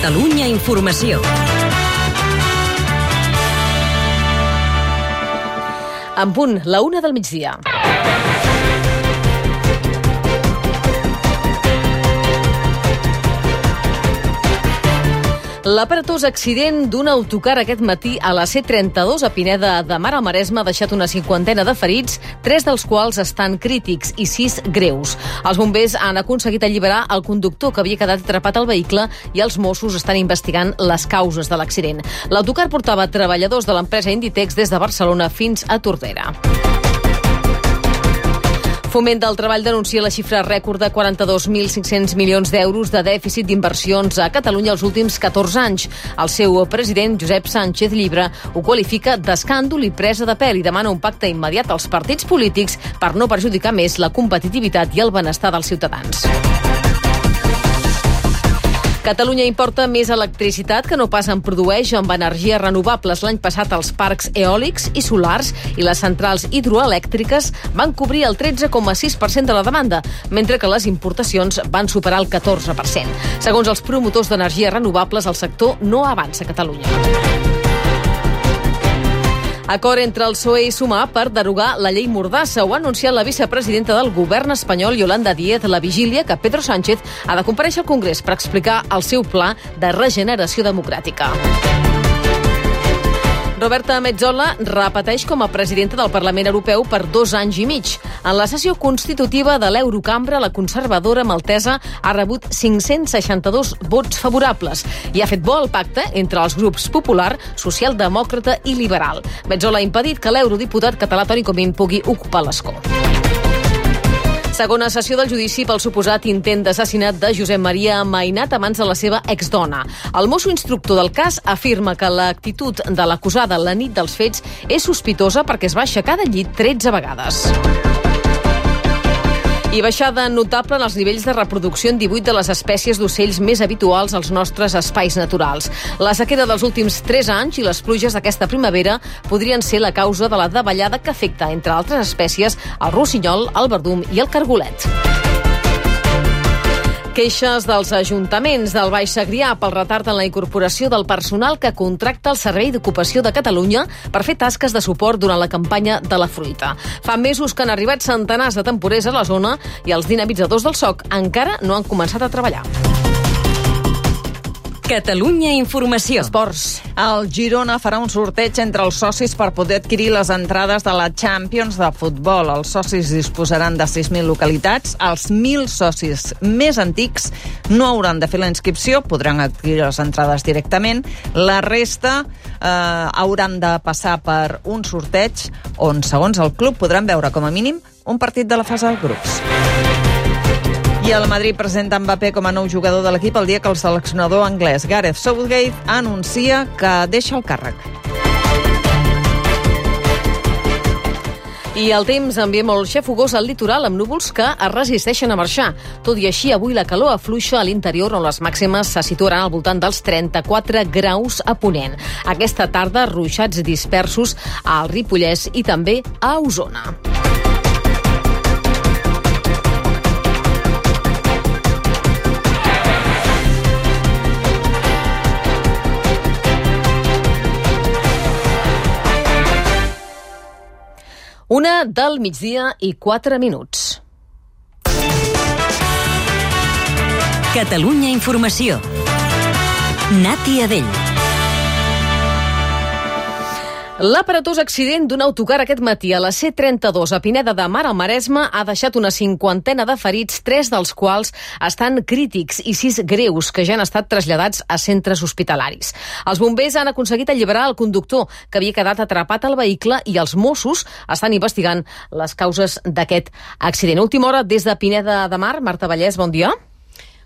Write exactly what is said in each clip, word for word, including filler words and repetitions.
Catalunya Informació. En punt, la una del migdia. L'aparatós accident d'un autocar aquest matí a la C trenta-dos a Pineda de Mar al Maresme ha deixat una cinquantena de ferits, tres dels quals estan crítics i sis greus. Els bombers han aconseguit alliberar el conductor que havia quedat atrapat al vehicle i els Mossos estan investigant les causes de l'accident. L'autocar portava treballadors de l'empresa Inditex des de Barcelona fins a Tordera. Foment del Treball denuncia la xifra rècord de quaranta-dos mil cinc-cents milions d'euros de dèficit d'inversions a Catalunya els últims catorze anys. El seu president, Josep Sánchez Llibre, ho qualifica d'escàndol i presa de pèl i demana un pacte immediat als partits polítics per no perjudicar més la competitivitat i el benestar dels ciutadans. Catalunya importa més electricitat que no pas en produeix amb energies renovables. L'any passat els parcs eòlics i solars i les centrals hidroelèctriques van cobrir el tretze coma sis per cent de la demanda, mentre que les importacions van superar el catorze per cent. Segons els promotors d'energies renovables, el sector no avança a Catalunya. Acord entre el P S O E i Sumar per derogar la llei Mordassa. Ho ha anunciat la vicepresidenta del govern espanyol, Yolanda Díez, a la vigília que Pedro Sánchez ha de comparèixer al Congrés per explicar el seu pla de regeneració democràtica. Roberta Metsola repeteix com a presidenta del Parlament Europeu per dos anys i mig. En la sessió constitutiva de l'Eurocambra, la conservadora maltesa ha rebut cinc-cents seixanta-dos vots favorables i ha fet bo el pacte entre els grups popular, socialdemòcrata i liberal. Metsola ha impedit que l'eurodiputat català Toni Comín pugui ocupar l'escó. Segona sessió del judici pel suposat intent d'assassinat de Josep Maria Mainat a mans de la seva exdona. El mosso instructor del cas afirma que l'actitud de l'acusada la nit dels fets és sospitosa perquè es va aixecar del llit tretze vegades. I baixada notable en els nivells de reproducció en divuit de les espècies d'ocells més habituals als nostres espais naturals. La sequera dels últims tres anys i les pluges d'aquesta primavera podrien ser la causa de la davallada que afecta, entre altres espècies, el rossinyol, el verdum i el cargolet. Queixes dels ajuntaments del Baix Segrià pel retard en la incorporació del personal que contracta el Servei d'Ocupació de Catalunya per fer tasques de suport durant la campanya de la fruita. Fa mesos que han arribat centenars de temporers a la zona i els dinamitzadors del S O C encara no han començat a treballar. Catalunya Informació. Esports. El Girona farà un sorteig entre els socis per poder adquirir les entrades de la Champions de futbol. Els socis disposaran de sis mil localitats. Els mil socis més antics no hauran de fer la inscripció, podran adquirir les entrades directament. La resta eh, hauran de passar per un sorteig on, segons el club, podran veure com a mínim un partit de la fase de grups. I el Madrid presenta Mbappé com a nou jugador de l'equip el dia que el seleccionador anglès Gareth Southgate anuncia que deixa el càrrec. I el temps ambient molt xafogós al litoral amb núvols que es resisteixen a marxar. Tot i així, avui la calor afluixa a l'interior on les màximes se situaran al voltant dels trenta-quatre graus a Ponent. Aquesta tarda, ruixats dispersos al Ripollès i també a Osona. Una del migdia i quatre minuts. Catalunya Informació. Nati Adell. L'aparatós accident d'un autocar aquest matí a la C trenta-dos a Pineda de Mar al Maresme ha deixat una cinquantena de ferits, tres dels quals estan crítics i sis greus que ja han estat traslladats a centres hospitalaris. Els bombers han aconseguit alliberar el conductor que havia quedat atrapat al vehicle i els Mossos estan investigant les causes d'aquest accident. Última hora des de Pineda de Mar. Marta Vallès, bon dia.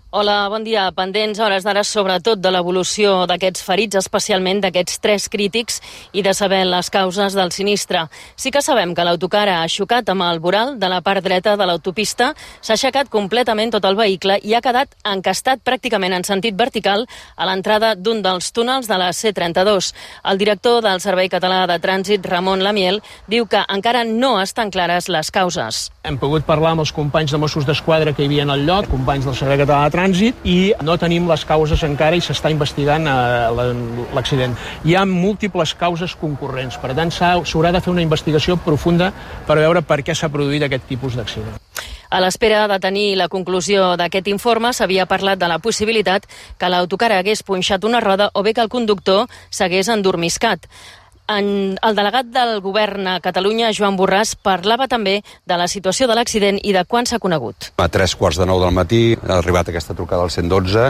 Hola, bon dia. Pendents a hores d'ara sobretot de l'evolució d'aquests ferits, especialment d'aquests tres crítics i de saber les causes del sinistre. Sí que sabem que l'autocar ha xocat amb el voral de la part dreta de l'autopista, s'ha aixecat completament tot el vehicle i ha quedat encastat pràcticament en sentit vertical a l'entrada d'un dels túnels de la C trenta-dos. El director del Servei Català de Trànsit, Ramon Lamiel, diu que encara no estan clares les causes. Hem pogut parlar amb els companys de Mossos d'Esquadra que hi havia al lloc, companys del Servei Català de trànsit i no tenim les causes encara i s'està investigant eh, l'accident. Hi ha múltiples causes concurrents, per tant s'haurà de fer una investigació profunda per veure per què s'ha produït aquest tipus d'accident. A l'espera de tenir la conclusió d'aquest informe, s'havia parlat de la possibilitat que l'autocar hagués punxat una roda o bé que el conductor s'hagués endormiscat. En, el delegat del govern a Catalunya, Joan Borràs, parlava també de la situació de l'accident i de quan s'ha conegut. A tres quarts de nou del matí ha arribat aquesta trucada al cent dotze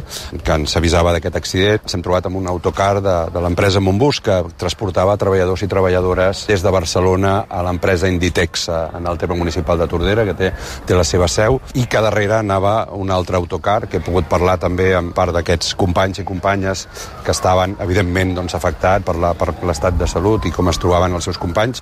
que ens avisava d'aquest accident. S'hem trobat amb un autocar de, de l'empresa Montbus que transportava treballadors i treballadores des de Barcelona a l'empresa Inditex en el terme municipal de Tordera, que té, té la seva seu, i que darrere anava un altre autocar, que he pogut parlar també amb part d'aquests companys i companyes que estaven, evidentment, doncs, afectats per la, per l'estat de salut i com es trobaven els seus companys.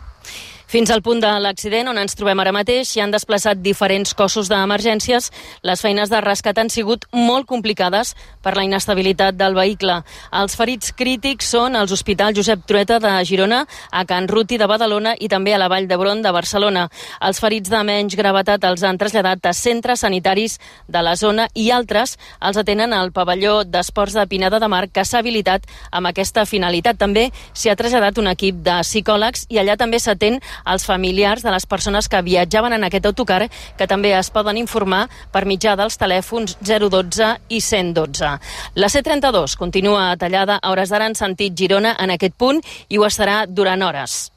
Fins al punt de l'accident on ens trobem ara mateix s'hi han desplaçat diferents cossos d'emergències. Les feines de rescat han sigut molt complicades per la inestabilitat del vehicle. Els ferits crítics són als hospitals Josep Trueta de Girona, a Can Ruti de Badalona i també a la Vall d'Hebron de Barcelona. Els ferits de menys gravetat els han traslladat a centres sanitaris de la zona i altres els atenen al pavelló d'esports de Pineda de Mar, que s'ha habilitat amb aquesta finalitat. També s'hi ha traslladat un equip de psicòlegs i allà també s'atén als familiars de les persones que viatjaven en aquest autocar, que també es poden informar per mitjà dels telèfons zero dotze i cent dotze. La C trenta-dos continua tallada a hores d'ara en sentit Girona en aquest punt i ho estarà durant hores.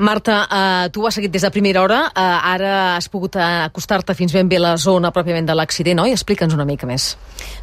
Marta, eh, tu ho has seguit des de primera hora, eh, ara has pogut acostar-te fins ben bé a la zona pròpiament de l'accident, oi? Explica'ns una mica més.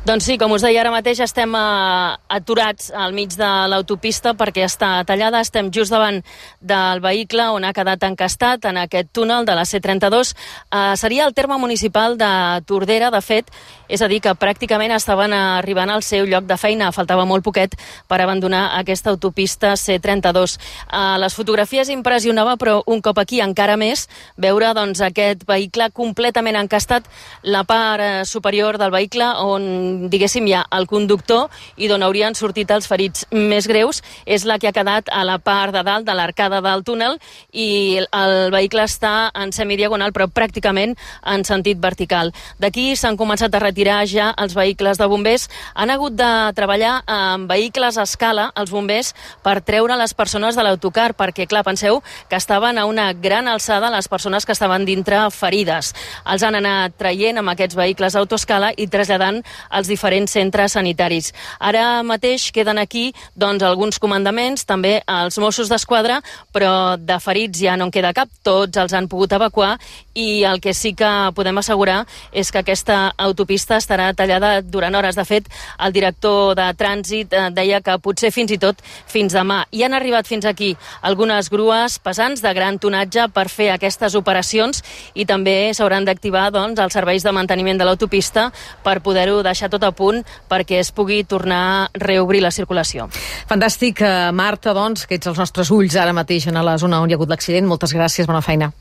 Doncs sí, com us deia, ara mateix estem eh, aturats al mig de l'autopista perquè està tallada, estem just davant del vehicle on ha quedat encastat en aquest túnel de la C trenta-dos. Eh, seria el terme municipal de Tordera, de fet, és a dir, que pràcticament estaven arribant al seu lloc de feina, faltava molt poquet per abandonar aquesta autopista C trenta-dos. Eh, les fotografies impressionava, però un cop aquí encara més, veure doncs, aquest vehicle completament encastat, la part eh, superior del vehicle on, diguéssim, hi ha el conductor i d'on haurien sortit els ferits més greus, és la que ha quedat a la part de dalt de l'arcada del túnel i el vehicle està en semidiagonal, però pràcticament en sentit vertical. D'aquí s'han començat a retirar ja els vehicles de bombers. Han hagut de treballar amb vehicles a escala, els bombers, per treure les persones de l'autocar, perquè, clar, penseu que estaven a una gran alçada les persones que estaven dintre ferides. Els han anat traient amb aquests vehicles d'autoescala i traslladant als diferents centres sanitaris. Ara mateix queden aquí doncs, alguns comandaments, també els Mossos d'Esquadra, però de ferits ja no en queda cap, tots els han pogut evacuar i el que sí que podem assegurar és que aquesta autopista estarà tallada durant hores. De fet, el director de trànsit deia que potser fins i tot fins demà. I han arribat fins aquí algunes grues pesants de gran tonatge per fer aquestes operacions i també s'hauran d'activar doncs, els serveis de manteniment de l'autopista per poder-ho deixar tot a punt perquè es pugui tornar a reobrir la circulació. Fantàstic, Marta, doncs, que ets els nostres ulls ara mateix a la zona on hi ha hagut l'accident. Moltes gràcies, bona feina.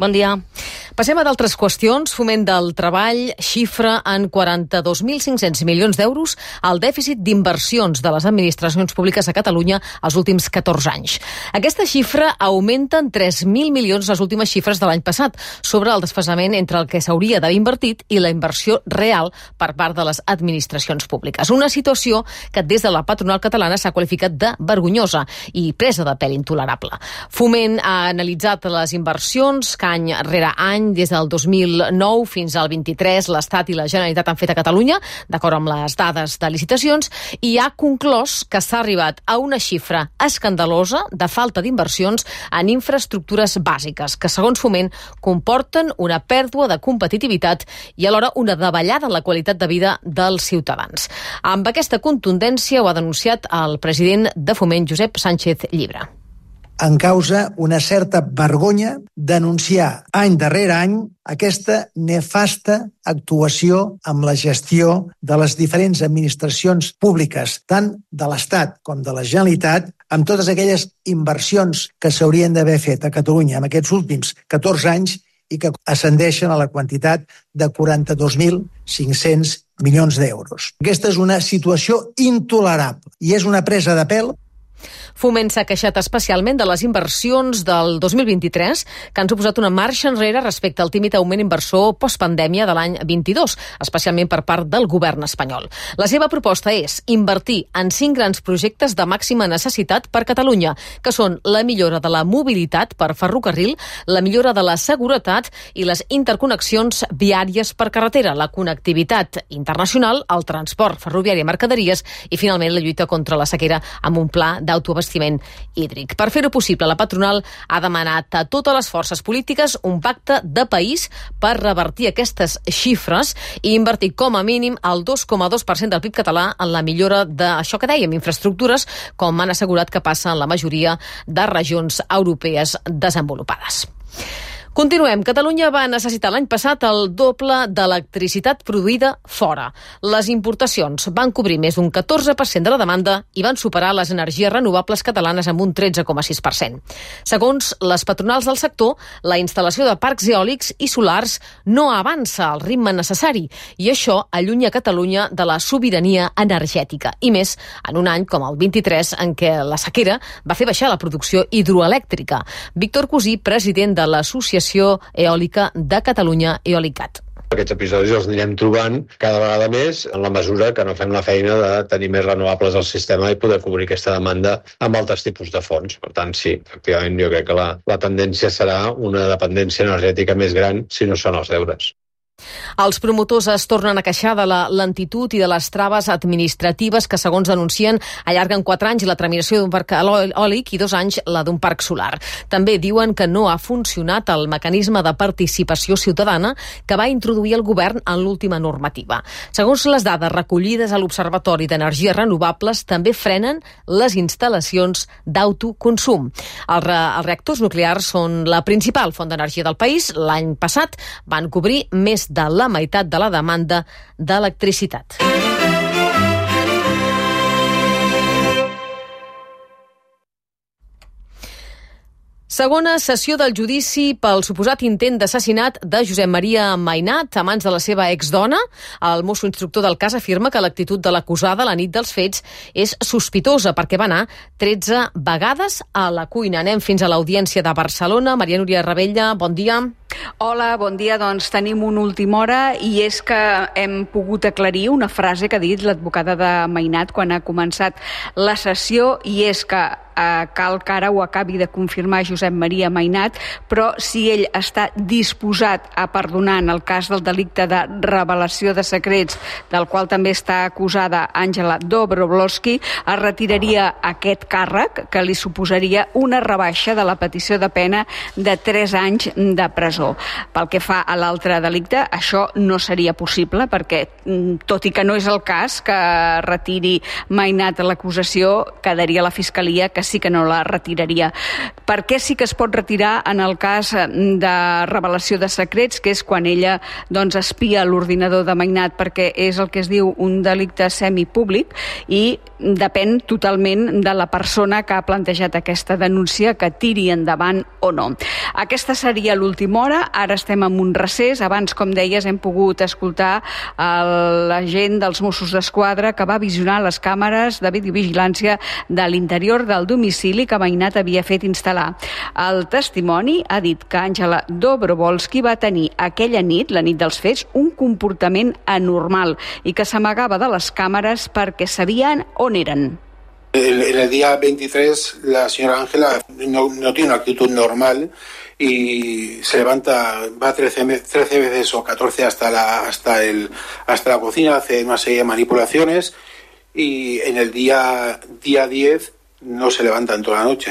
Bon dia. Passem a d'altres qüestions. Foment del Treball xifra en quaranta-dos mil cinc-cents milions d'euros el dèficit d'inversions de les administracions públiques a Catalunya els últims catorze anys. Aquesta xifra augmenta en tres mil milions les últimes xifres de l'any passat, sobre el desfasament entre el que s'hauria d'haver invertit i la inversió real per part de les administracions públiques. Una situació que des de la patronal catalana s'ha qualificat de vergonyosa i presa de pèl intolerable. Foment ha analitzat les inversions que any rere any, des del dos mil nou fins al vint-i-tres, l'Estat i la Generalitat han fet a Catalunya, d'acord amb les dades de licitacions, i ha conclòs que s'ha arribat a una xifra escandalosa de falta d'inversions en infraestructures bàsiques, que segons Foment comporten una pèrdua de competitivitat i alhora una davallada en la qualitat de vida dels ciutadans. Amb aquesta contundència ho ha denunciat el president de Foment, Josep Sánchez Llibre. En causa una certa vergonya denunciar any darrere any aquesta nefasta actuació amb la gestió de les diferents administracions públiques, tant de l'Estat com de la Generalitat, amb totes aquelles inversions que s'haurien d'haver fet a Catalunya en aquests últims catorze anys i que ascendeixen a la quantitat de quaranta-dos mil cinc-cents milions d'euros. Aquesta és una situació intolerable i és una presa de pèl. Foment s'ha queixat especialment de les inversions del dos mil vint-i-tres, que han suposat una marxa enrere respecte al tímid augment inversor postpandèmia de l'any vint-i-dos, especialment per part del govern espanyol. La seva proposta és invertir en cinc grans projectes de màxima necessitat per Catalunya, que són la millora de la mobilitat per ferrocarril, la millora de la seguretat i les interconnexions viàries per carretera, la connectivitat internacional, el transport ferroviari i mercaderies i, finalment, la lluita contra la sequera amb un pla d'autoabastiment hídric. Per fer-ho possible, la patronal ha demanat a totes les forces polítiques un pacte de país per revertir aquestes xifres i invertir com a mínim el dos coma dos per cent del P I B català en la millora d'això que dèiem, infraestructures, com han assegurat que passa en la majoria de regions europees desenvolupades. Continuem. Catalunya va necessitar l'any passat el doble d'electricitat produïda fora. Les importacions van cobrir més d'un catorze per cent de la demanda i van superar les energies renovables catalanes amb un tretze coma sis per cent. Segons les patronals del sector, la instal·lació de parcs eòlics i solars no avança al ritme necessari i això allunya Catalunya de la sobirania energètica. I més en un any com el vint-i-tres, en què la sequera va fer baixar la producció hidroelèctrica. Víctor Cosí, president de l'Associació Eòlica de Catalunya, Eolicat. Aquests episodis els anirem trobant cada vegada més en la mesura que no fem la feina de tenir més renovables al sistema i poder cobrir aquesta demanda amb altres tipus de fonts. Per tant, sí, efectivament, jo crec que la, la tendència serà una dependència energètica més gran si no són els deures. Els promotors es tornen a queixar de la lentitud i de les traves administratives que, segons denuncien, allarguen quatre anys la tramitació d'un parc eòlic i dos anys la d'un parc solar. També diuen que no ha funcionat el mecanisme de participació ciutadana que va introduir el govern en l'última normativa. Segons les dades recollides a l'Observatori d'Energies Renovables, també frenen les instal·lacions d'autoconsum. Els, re els reactors nuclears són la principal font d'energia del país. L'any passat van cobrir més de la meitat de la demanda d'electricitat. Segona sessió del judici pel suposat intent d'assassinat de Josep Maria Mainat a mans de la seva exdona. El mosso instructor del cas afirma que l'actitud de l'acusada la nit dels fets és sospitosa perquè va anar tretze vegades a la cuina. Anem fins a l'Audiència de Barcelona. Maria Núria Ravella, bon dia. Hola, bon dia. Doncs tenim una última hora i és que hem pogut aclarir una frase que ha dit l'advocada de Mainat quan ha començat la sessió i és que eh, cal que ara ho acabi de confirmar Josep Maria Mainat, però si ell està disposat a perdonar en el cas del delicte de revelació de secrets, del qual també està acusada Àngela Dobrovolsky, es retiraria aquest càrrec que li suposaria una rebaixa de la petició de pena de tres anys de presó. Pel que fa a l'altre delicte, això no seria possible perquè, tot i que no és el cas que retiri Mainat l'acusació, quedaria la Fiscalia que sí que no la retiraria. Per què sí que es pot retirar en el cas de revelació de secrets, que és quan ella doncs, espia l'ordinador de Mainat, perquè és el que es diu un delicte semipúblic i depèn totalment de la persona que ha plantejat aquesta denúncia que tiri endavant o no. Aquesta seria l'última hora, ara estem en un recés. Abans, com deies, hem pogut escoltar l'agent dels Mossos d'Esquadra que va visionar les càmeres de videovigilància de l'interior del domicili que Mainat havia fet instal·lar. El testimoni ha dit que Àngela Dobrovolsky va tenir aquella nit, la nit dels fets, un comportament anormal i que s'amagava de les càmeres perquè sabien on eren. En el día veintitrés la señora Ángela no, no tiene una actitud normal y se levanta, va trece veces o catorce hasta la, hasta el, hasta la cocina, hace una serie de manipulaciones y en el día, día diez no se levanta en toda la noche.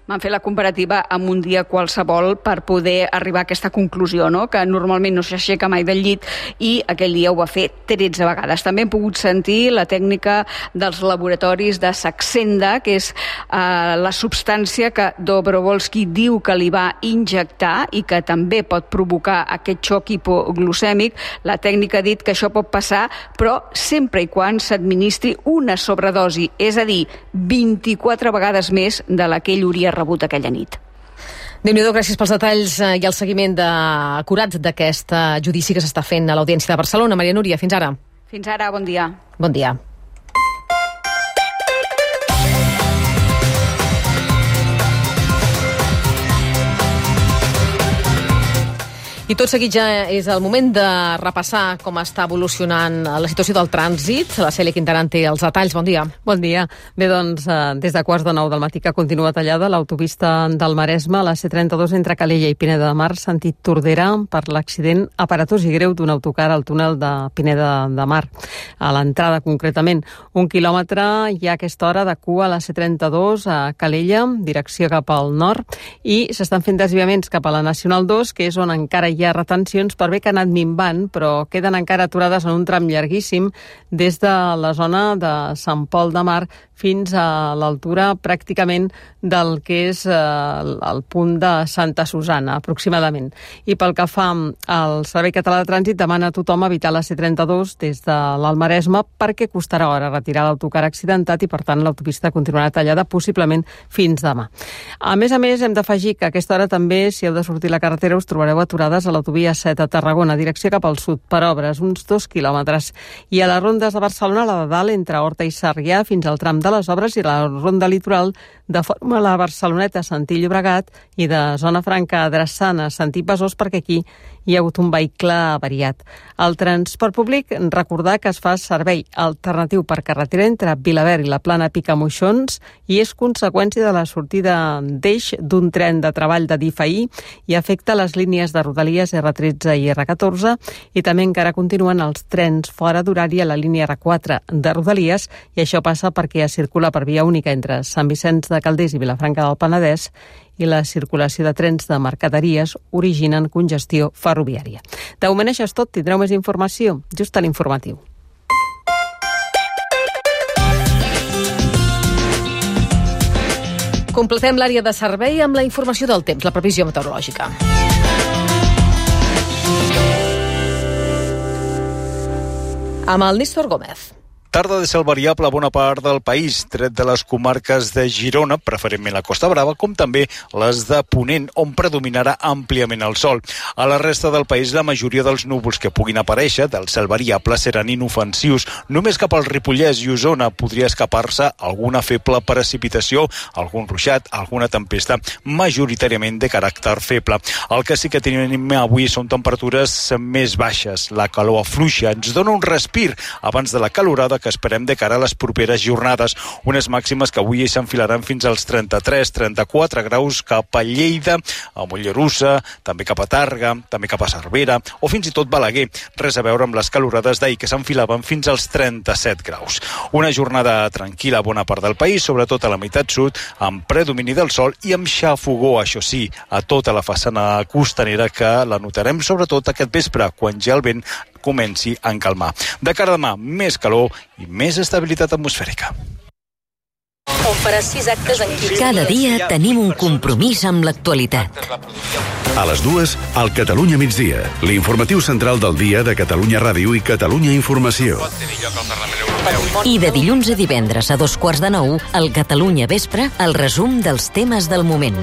Van fer la comparativa amb un dia qualsevol per poder arribar a aquesta conclusió, no? Que normalment no s'aixeca mai del llit i aquell dia ho va fer tretze vegades. També hem pogut sentir la tècnica dels laboratoris de Saxenda, que és eh, la substància que Dobrovolsky diu que li va injectar i que també pot provocar aquest xoc hipoglucèmic. La tècnica ha dit que això pot passar, però sempre i quan s'administri una sobredosi, és a dir, vint-i-quatre vegades més de la que ell hauria rebut aquella nit. Déu-n'hi-do, gràcies pels detalls i el seguiment de... acurat d'aquest judici que s'està fent a l'Audiència de Barcelona. Maria Núria, fins ara. Fins ara, bon dia. Bon dia. I tot seguit ja és el moment de repassar com està evolucionant la situació del trànsit. La Cèlia Quintaran té els detalls. Bon dia. Bon dia. Bé, doncs, des de quarts de nou del matí que continua tallada l'autopista del Maresme, la C trenta-dos entre Calella i Pineda de Mar, sentit Tordera, per l'accident aparatós i greu d'un autocar al túnel de Pineda de Mar. A l'entrada, concretament, un quilòmetre hi ha a aquesta hora de cua a la C trenta-dos a Calella, direcció cap al nord, i s'estan fent desviaments cap a la Nacional dos, que és on encara hi ha retencions per bé que ha anat minvant, però queden encara aturades en un tram llarguíssim des de la zona de Sant Pol de Mar fins a l'altura pràcticament del que és eh, el punt de Santa Susana, aproximadament. I pel que fa al Servei Català de Trànsit, demana a tothom evitar la C trenta-dos des de l'Almaresme perquè costarà hora retirar l'autocar accidentat i, per tant, l'autopista continuarà tallada possiblement fins demà. A més a més, hem d'afegir que a aquesta hora també, si heu de sortir a la carretera, us trobareu aturades a l'autovia set a Tarragona, direcció cap al sud, per obres, uns dos quilòmetres. I a les rondes de Barcelona, la de dalt, entre Horta i Sarrià, fins al tram de les obres, i la ronda litoral de forma a la Barceloneta, Santí Llobregat, i de Zona Franca a Drassana, Santí Besòs, perquè aquí hi ha hagut un vehicle avariat. El transport públic, recordar que es fa servei alternatiu per carretera entre Vilaverd i la Plana Picamoixons i és conseqüència de la sortida d'eix d'un tren de treball de D I F ahir i afecta les línies de Rodalies R tretze i R catorze i també encara continuen els trens fora d'horari a la línia R quatre de Rodalies i això passa perquè es circula per via única entre Sant Vicenç de Calders i Vilafranca del Penedès i la circulació de trens de mercaderies originen congestió ferroviària. De moment això és tot, tindreu més informació just a l'informatiu. Completem l'àrea de servei amb la informació del temps, la previsió meteorològica. Amb el Nístor Gómez. Tarda de cel variable a bona part del país, tret de les comarques de Girona, preferentment la Costa Brava, com també les de Ponent, on predominarà àmpliament el sol. A la resta del país, la majoria dels núvols que puguin aparèixer del cel variable seran inofensius. Només cap al Ripollès i Osona podria escapar-se alguna feble precipitació, algun ruixat, alguna tempesta, majoritàriament de caràcter feble. El que sí que tenim avui són temperatures més baixes. La calor afluixa ens dona un respir abans de la calorada que esperem de cara a les properes jornades. Unes màximes que avui s'enfilaran fins als trenta-tres trenta-quatre graus cap a Lleida, a Mollerussa, també cap a Tàrrega, també cap a Cervera o fins i tot Balaguer. Res a veure amb les calorades d'ahir que s'enfilaven fins als trenta-set graus. Una jornada tranquil·la a bona part del país, sobretot a la meitat sud, amb predomini del sol i amb xafogó, això sí, a tota la façana costanera que la notarem sobretot aquest vespre, quan ja el vent comenci a encalmar. De cara a demà, més calor i més estabilitat atmosfèrica. On faràs sis actes en quinze Cada dia tenim un compromís amb l'actualitat. A les dues, al Catalunya migdia, l'informatiu central del dia de Catalunya Ràdio i Catalunya Informació. I de dilluns a divendres a dos quarts de nou, al Catalunya Vespre, el resum dels temes del moment.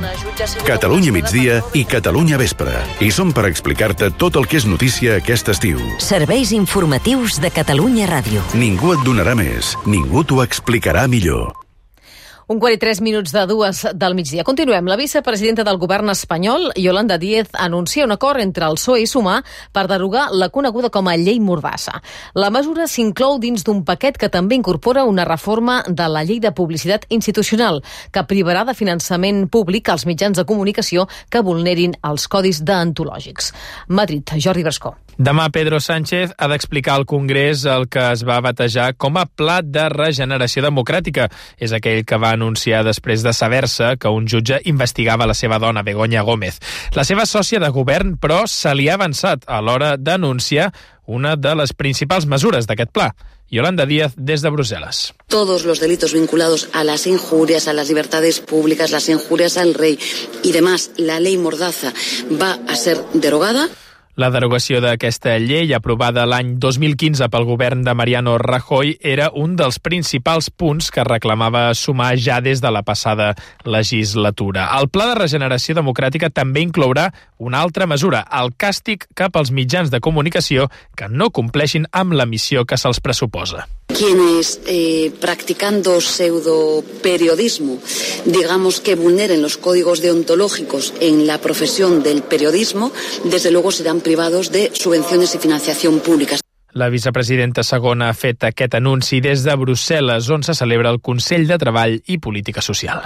Catalunya migdia i Catalunya Vespre. I som per explicar-te tot el que és notícia aquest estiu. Serveis informatius de Catalunya Ràdio. Ningú et donarà més, ningú t'ho explicarà millor. Un quart i tres minuts de dues del migdia. Continuem. La vicepresidenta del govern espanyol, Yolanda Díez, anuncia un acord entre el P S O E i Sumar per derogar la coneguda com a llei Mordassa. La mesura s'inclou dins d'un paquet que també incorpora una reforma de la llei de publicitat institucional, que privarà de finançament públic als mitjans de comunicació que vulnerin els codis deontològics. Madrid, Jordi Brascó. Demà Pedro Sánchez ha d'explicar al Congrés el que es va batejar com a Pla de Regeneració Democràtica. És aquell que va anunciar després de saber-se que un jutge investigava la seva dona, Begoña Gómez. La seva sòcia de govern, però, se li ha avançat a l'hora d'anunciar una de les principals mesures d'aquest pla. Yolanda Díaz, des de Bruselas. Todos los delitos vinculados a las injurias, a las libertades públicas, las injurias al rey y demás, la ley Mordaza va a ser derogada. La derogació d'aquesta llei, aprovada l'any dos mil quinze pel govern de Mariano Rajoy, era un dels principals punts que reclamava Sumar ja des de la passada legislatura. El Pla de Regeneració Democràtica també inclourà una altra mesura, el càstig cap als mitjans de comunicació que no compleixin amb la missió que se'ls pressuposa. Quienes, eh, practicando pseudoperiodismo, digamos que vulneren los códigos deontológicos en la profesión del periodismo, desde luego serán privados de subvenciones y financiación públicas. La vicepresidenta segona ha fet aquest anunci des de Brussel·les, on se celebra el Consell de Treball i Política Social.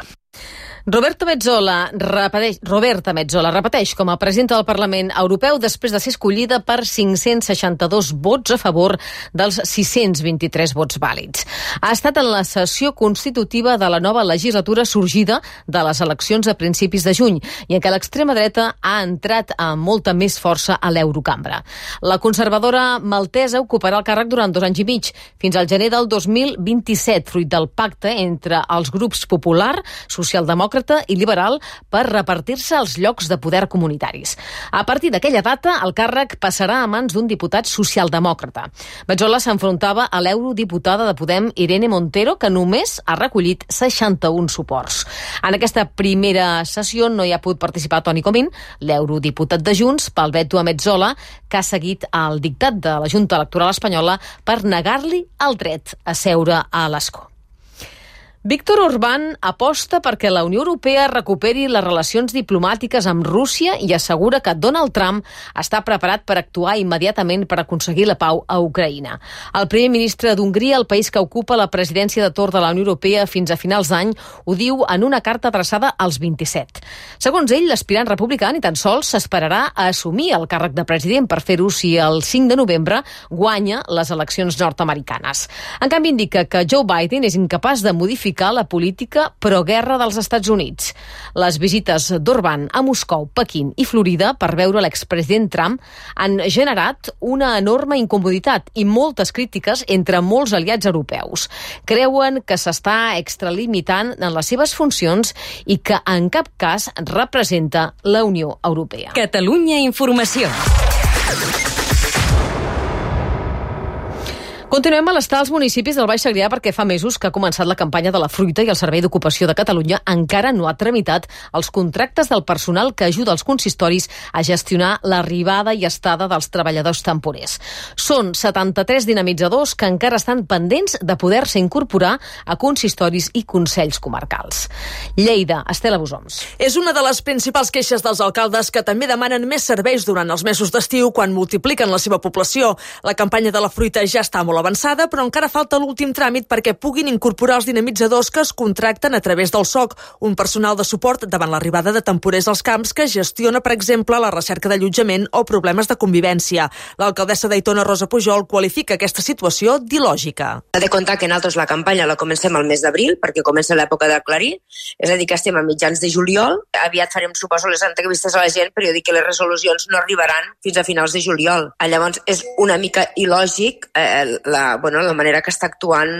Roberto Metsola repeteix, Roberta Metsola repeteix com a presidenta del Parlament Europeu després de ser escollida per cinc-cents seixanta-dos vots a favor dels sis-cents vint-i-tres vots vàlids. Ha estat en la sessió constitutiva de la nova legislatura sorgida de les eleccions a principis de juny i en què l'extrema dreta ha entrat amb molta més força a l'Eurocambra. La conservadora maltesa ocuparà el càrrec durant dos anys i mig, fins al gener del dos mil vint-i-set, fruit del pacte entre els grups popular, socialdemòcrata i liberal per repartir-se els llocs de poder comunitaris. A partir d'aquella data, el càrrec passarà a mans d'un diputat socialdemòcrata. Metsola s'enfrontava a l'eurodiputada de Podem, Irene Montero, que només ha recollit seixanta-un suports. En aquesta primera sessió no hi ha pogut participar Toni Comín, l'eurodiputat de Junts, pel veto a Metsola, que ha seguit el dictat de la Junta Electoral Espanyola per negar-li el dret a seure a l'escó. Víctor Orbán aposta perquè la Unió Europea recuperi les relacions diplomàtiques amb Rússia i assegura que Donald Trump està preparat per actuar immediatament per aconseguir la pau a Ucraïna. El primer ministre d'Hongria, el país que ocupa la presidència de torn de la Unió Europea fins a finals d'any, ho diu en una carta adreçada als vint-i-set. Segons ell, l'aspirant republicà ni tan sols s'esperarà a assumir el càrrec de president per fer-ho si el cinc de novembre guanya les eleccions nord-americanes. En canvi, indica que Joe Biden és incapaç de modificar la política pro-guerra dels Estats Units. Les visites d'Orbán a Moscou, Pequín i Florida per veure l'expresident Trump han generat una enorme incomoditat i moltes crítiques entre molts aliats europeus. Creuen que s'està extralimitant en les seves funcions i que en cap cas representa la Unió Europea. Catalunya Informació. Continuem a l'estar als municipis del Baix Segrià perquè fa mesos que ha començat la campanya de la fruita i el Servei d'Ocupació de Catalunya encara no ha tramitat els contractes del personal que ajuda els consistoris a gestionar l'arribada i estada dels treballadors temporers. Són setanta-tres dinamitzadors que encara estan pendents de poder-se incorporar a consistoris i consells comarcals. Lleida, Estela Bosoms. És una de les principals queixes dels alcaldes que també demanen més serveis durant els mesos d'estiu quan multipliquen la seva població. La campanya de la fruita ja està molt avançada, però encara falta l'últim tràmit perquè puguin incorporar els dinamitzadors que es contracten a través del S O C, un personal de suport davant l'arribada de temporers als camps que gestiona, per exemple, la recerca d'allotjament o problemes de convivència. L'alcaldessa d'Aitona, Rosa Pujol, qualifica aquesta situació d'il·lògica. Ha de comptar que nosaltres la campanya la comencem al mes d'abril, perquè comença l'època d'aclarir, és a dir, que estem a mitjans de juliol. Aviat farem, suposo, les entrevistes a la gent, però jo dic que les resolucions no arribaran fins a finals de juliol. Llavors, és una mica il·lògic eh, la, bueno, la manera que està actuant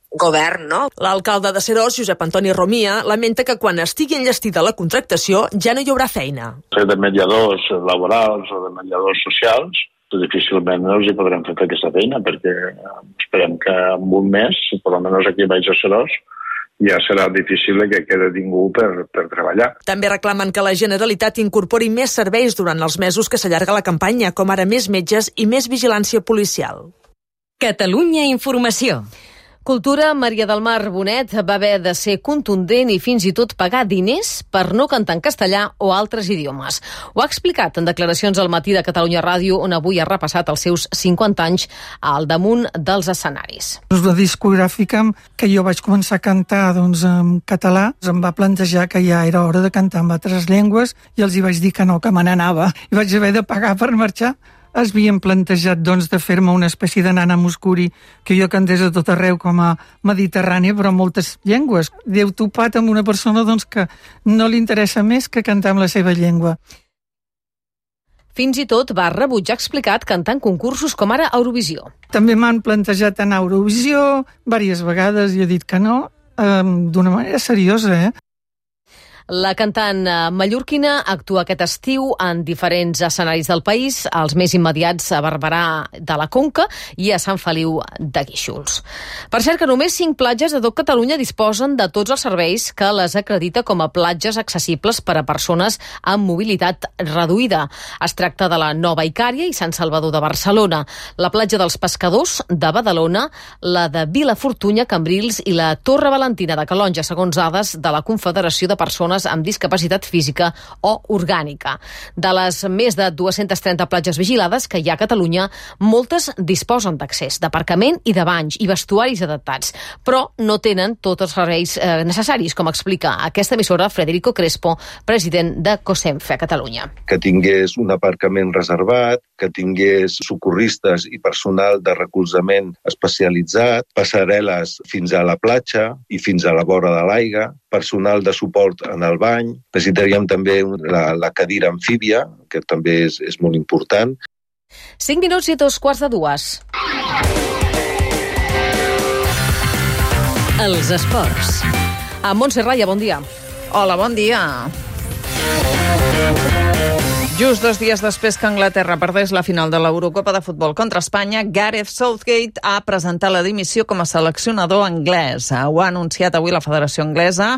govern, no? L'alcalde de Seròs, Josep Antoni Romia, lamenta que quan estigui enllestida la contractació ja no hi haurà feina. De mediadors laborals o de mediadors socials, difícilment no els hi podrem fer aquesta feina, perquè esperem que en un mes, per almenys aquí baix a Seròs, ja serà difícil que quede ningú per, per treballar. També reclamen que la Generalitat incorpori més serveis durant els mesos que s'allarga la campanya, com ara més metges i més vigilància policial. Catalunya Informació. Cultura, Maria del Mar Bonet va haver de ser contundent i fins i tot pagar diners per no cantar en castellà o altres idiomes. Ho ha explicat en declaracions al Matí de Catalunya Ràdio, on avui ha repassat els seus cinquanta anys al damunt dels escenaris. La discogràfica que jo vaig començar a cantar doncs, en català em va plantejar que ja era hora de cantar en altres llengües i els hi vaig dir que no, que me n'anava. I vaig haver de pagar per marxar. Es havien plantejat doncs, de fer-me una espècie de nana muscuri que jo cantés a tot arreu com a mediterrània, però en moltes llengües. Déu topat amb una persona doncs, que no li interessa més que cantar en la seva llengua. Fins i tot va rebutjar, explicat, cantar en concursos com ara Eurovisió. També m'han plantejat anar a Eurovisió diverses vegades i he dit que no, eh, d'una manera seriosa, eh? La cantant mallorquina actua aquest estiu en diferents escenaris del país, els més immediats a Barberà de la Conca i a Sant Feliu de Guíxols. Per cert que només cinc platges de tot Catalunya disposen de tots els serveis que les acredita com a platges accessibles per a persones amb mobilitat reduïda. Es tracta de la Nova Icària i Sant Salvador de Barcelona, la platja dels Pescadors de Badalona, la de Vilafortunya, Cambrils i la Torre Valentina de Calonja, segons dades de la Confederació de Persones amb discapacitat física o orgànica. De les més de dues-centes trenta platges vigilades que hi ha a Catalunya, moltes disposen d'accés, d'aparcament i de banys i vestuaris adaptats, però no tenen tots els serveis eh, necessaris, com explica aquesta emissora Federico Crespo, president de COSENFE a Catalunya. Que tingués un aparcament reservat, que tingués socorristes i personal de recolzament especialitzat, passarel·les fins a la platja i fins a la vora de l'aigua, personal de suport en el bany. Necessitaríem també la, la cadira amfíbia, que també és, és molt important. Cinc minuts i dos quarts de dues. Els esports. A Montse Raya, bon dia. Hola, bon dia. Just dos dies després que Anglaterra perdés la final de l'Eurocopa de futbol contra Espanya, Gareth Southgate ha presentat la dimissió com a seleccionador anglès. Ho ha anunciat avui la Federació Anglesa.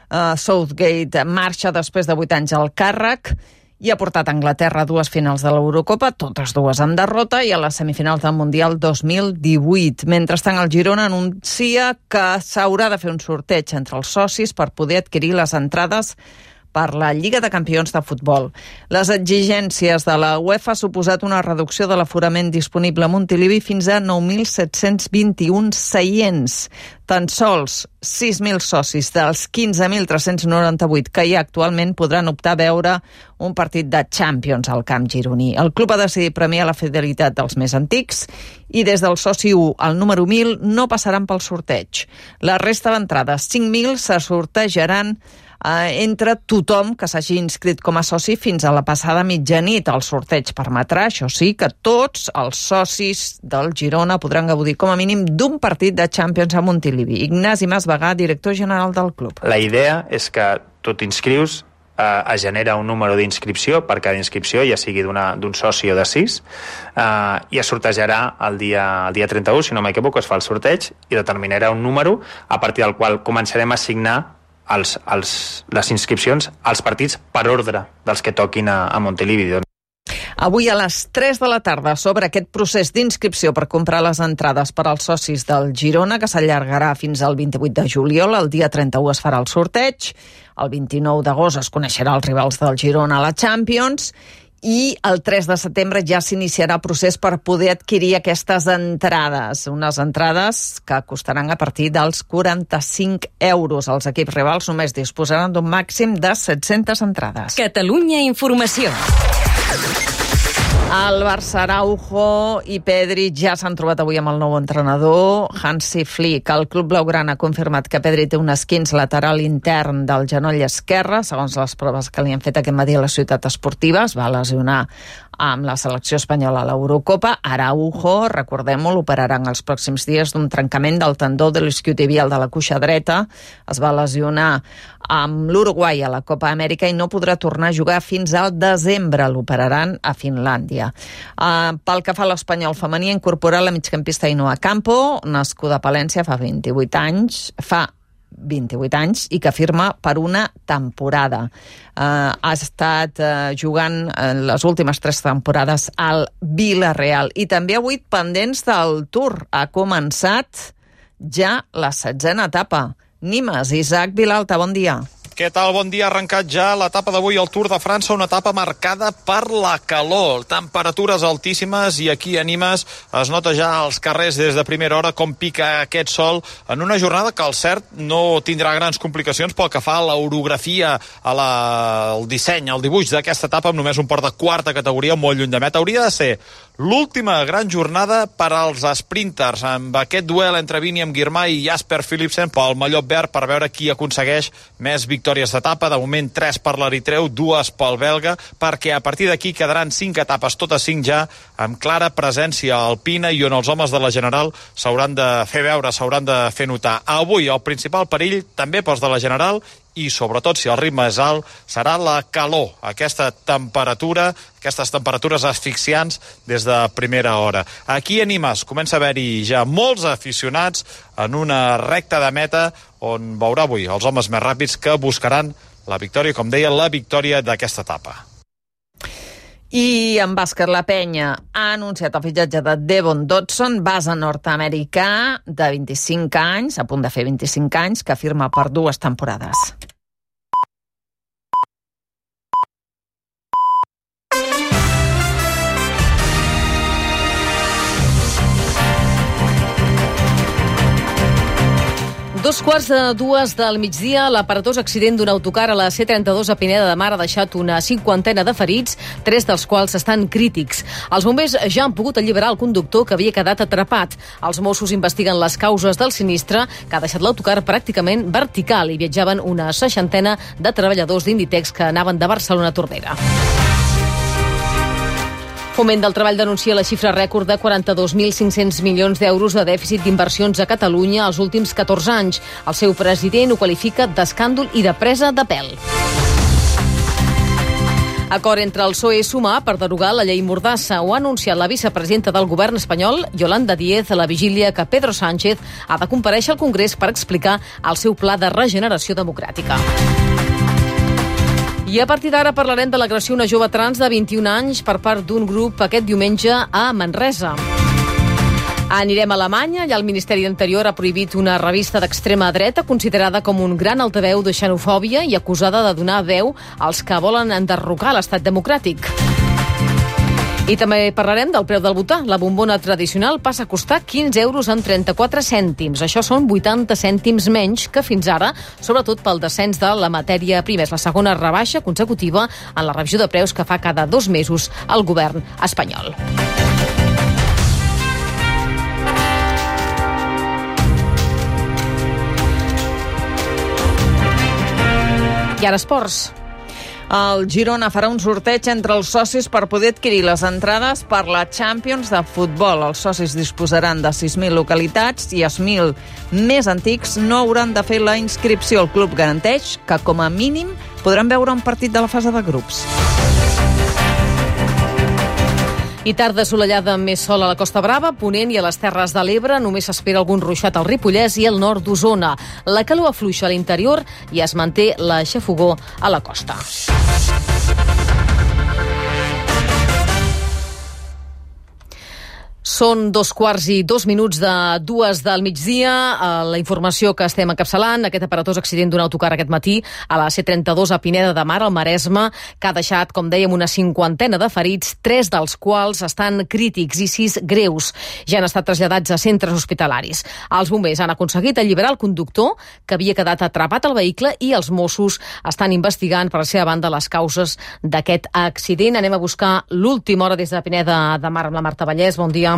Uh, Southgate marxa després de vuit anys al càrrec i ha portat a Anglaterra a dues finals de l'Eurocopa, totes dues amb derrota, i a les semifinals del Mundial dos mil divuit. Mentrestant, el Girona anuncia que s'haurà de fer un sorteig entre els socis per poder adquirir les entrades per la Lliga de Campions de Futbol. Les exigències de la UEFA han suposat una reducció de l'aforament disponible a Montilivi fins a nou mil set-cents vint-i-un seients. Tan sols sis mil socis dels quinze mil tres-cents noranta-vuit que hi ha actualment podran optar a veure un partit de Champions al camp gironí. El club ha decidit premiar la fidelitat dels més antics i des del soci u al número mil no passaran pel sorteig. La resta d'entrades, cinc mil, se sortejaran entre tothom que s'hagi inscrit com a soci fins a la passada mitjanit. El sorteig permetrà, això sí, que tots els socis del Girona podran gaudir com a mínim d'un partit de Champions a Montilivi. Ignasi Masvegà, director general del club. La idea és que tu t'inscrius, eh, es genera un número d'inscripció per cada inscripció, ja sigui d'un soci o de sis, eh, i es sortejarà el dia, el dia trenta-u, si no m'equivoco, es fa el sorteig i determinarà un número a partir del qual començarem a assignar Els, els, les inscripcions als partits per ordre dels que toquin a, a Montilivi. Avui a les tres de la tarda sobre aquest procés d'inscripció per comprar les entrades per als socis del Girona, que s'allargarà fins al vint-i-vuit de juliol. El dia trenta-u es farà el sorteig, el vint-i-nou d'agost es coneixerà els rivals del Girona a la Champions i el tres de setembre ja s'iniciarà el procés per poder adquirir aquestes entrades. Unes entrades que costaran a partir dels quaranta-cinc euros. Els equips rivals només disposaran d'un màxim de set-centes entrades. Catalunya Informació. El Barça, Araujo i Pedri ja s'han trobat avui amb el nou entrenador, Hansi Flick. El club blaugrana ha confirmat que Pedri té un esquinç lateral intern del genoll esquerre, segons les proves que li han fet aquest matí a la ciutat esportiva. Es va lesionar amb la selecció espanyola a l'Eurocopa. Araujo, recordem-ho, l'operaran els pròxims dies d'un trencament del tendó de l'isquiotibial de la cuixa dreta. Es va lesionar amb l'Uruguai a la Copa Amèrica i no podrà tornar a jugar fins al desembre. L'operaran a Finlàndia. Uh, pel que fa a l'Espanyol femení, ha incorporat la migcampista Ainhoa Campo, nascuda a Palència fa vint-i-vuit anys, fa vint-i-vuit anys i que firma per una temporada. Uh, ha estat uh, jugant uh, les últimes tres temporades al Villarreal i també ha vuit pendents del Tour. Ha començat ja la setzena etapa. Nimes, Isaac Vilalta, bon dia. Què tal? Bon dia. Ha arrencat ja l'etapa d'avui al Tour de França, una etapa marcada per la calor. Temperatures altíssimes i aquí a Nimes es nota ja als carrers des de primera hora com pica aquest sol en una jornada que, al cert, no tindrà grans complicacions pel que fa a l'orografia, a la, al disseny, al dibuix d'aquesta etapa amb només un port de quarta categoria molt lluny de meta. Hauria de ser l'última gran jornada per als sprinters, amb aquest duel entre Vinny Girmay i Jasper Philipsen pel mallot verd per veure qui aconsegueix més victòries d'etapa. De moment, tres per l'eritreu, dues pel belga, perquè a partir d'aquí quedaran cinc etapes, totes cinc ja amb clara presència alpina i on els homes de la General s'hauran de fer veure, s'hauran de fer notar. Avui el principal perill també pels de la General i, sobretot, si el ritme és alt, serà la calor, aquesta temperatura, aquestes temperatures asfixiants des de primera hora. Aquí a Nimes comença a haver-hi ja molts aficionats en una recta de meta on veurà avui els homes més ràpids que buscaran la victòria, com deia, la victòria d'aquesta etapa. I en bàsquet, la Penya ha anunciat el fitxatge de Devon Dodson, base nord-americà de vint-i-cinc anys, a punt de fer vint-i-cinc anys, que firma per dues temporades. Dos quarts de dues del migdia, l'aparatós accident d'un autocar a la C trenta-dos a Pineda de Mar ha deixat una cinquantena de ferits, tres dels quals estan crítics. Els bombers ja han pogut alliberar el conductor que havia quedat atrapat. Els Mossos investiguen les causes del sinistre que ha deixat l'autocar pràcticament vertical i viatjaven una seixantena de treballadors d'Inditex que anaven de Barcelona a Tordera. Foment del Treball denuncia la xifra rècord de quaranta-dos mil cinc-cents milions d'euros de dèficit d'inversions a Catalunya els últims catorze anys. El seu president ho qualifica d'escàndol i de presa de pèl. Acord entre el P S O E i Sumar per derogar la llei Mordassa. Ho ha anunciat la vicepresidenta del govern espanyol, Yolanda Díez, a la vigília que Pedro Sánchez ha de comparèixer al Congrés per explicar el seu pla de regeneració democràtica. I a partir d'ara parlarem de l'agressió a una jove trans de vint-i-un anys per part d'un grup aquest diumenge a Manresa. Anirem a Alemanya, allà el Ministeri d'Interior ha prohibit una revista d'extrema dreta considerada com un gran altaveu de xenofòbia i acusada de donar veu als que volen enderrocar l'estat democràtic. I també parlarem del preu del butà. La bombona tradicional passa a costar quinze euros amb trenta-quatre cèntims. Això són vuitanta cèntims menys que fins ara, sobretot pel descens de la matèria prima. És la segona rebaixa consecutiva en la revisió de preus que fa cada dos mesos el govern espanyol. I ara esports. El Girona farà un sorteig entre els socis per poder adquirir les entrades per la Champions de futbol. Els socis disposaran de sis mil localitats i els mil més antics no hauran de fer la inscripció. El club garanteix que, com a mínim, podran veure un partit de la fase de grups. I tarda assolellada amb més sol a la Costa Brava, Ponent i a les Terres de l'Ebre. Només s'espera algun ruixat al Ripollès i al nord d'Osona. La calor afluixa a l'interior i es manté la xafogor a la costa. Són dos quarts i dos minuts de dues del migdia. La informació que estem encapçalant, aquest aparatós accident d'un autocar aquest matí a la C trenta-dos a Pineda de Mar, al Maresme, que ha deixat, com dèiem, una cinquantena de ferits, tres dels quals estan crítics i sis greus. Ja han estat traslladats a centres hospitalaris. Els bombers han aconseguit alliberar el conductor, que havia quedat atrapat al vehicle, i els Mossos estan investigant, per la seva banda, les causes d'aquest accident. Anem a buscar l'última hora des de Pineda de Mar amb la Marta Vallès. Bon dia.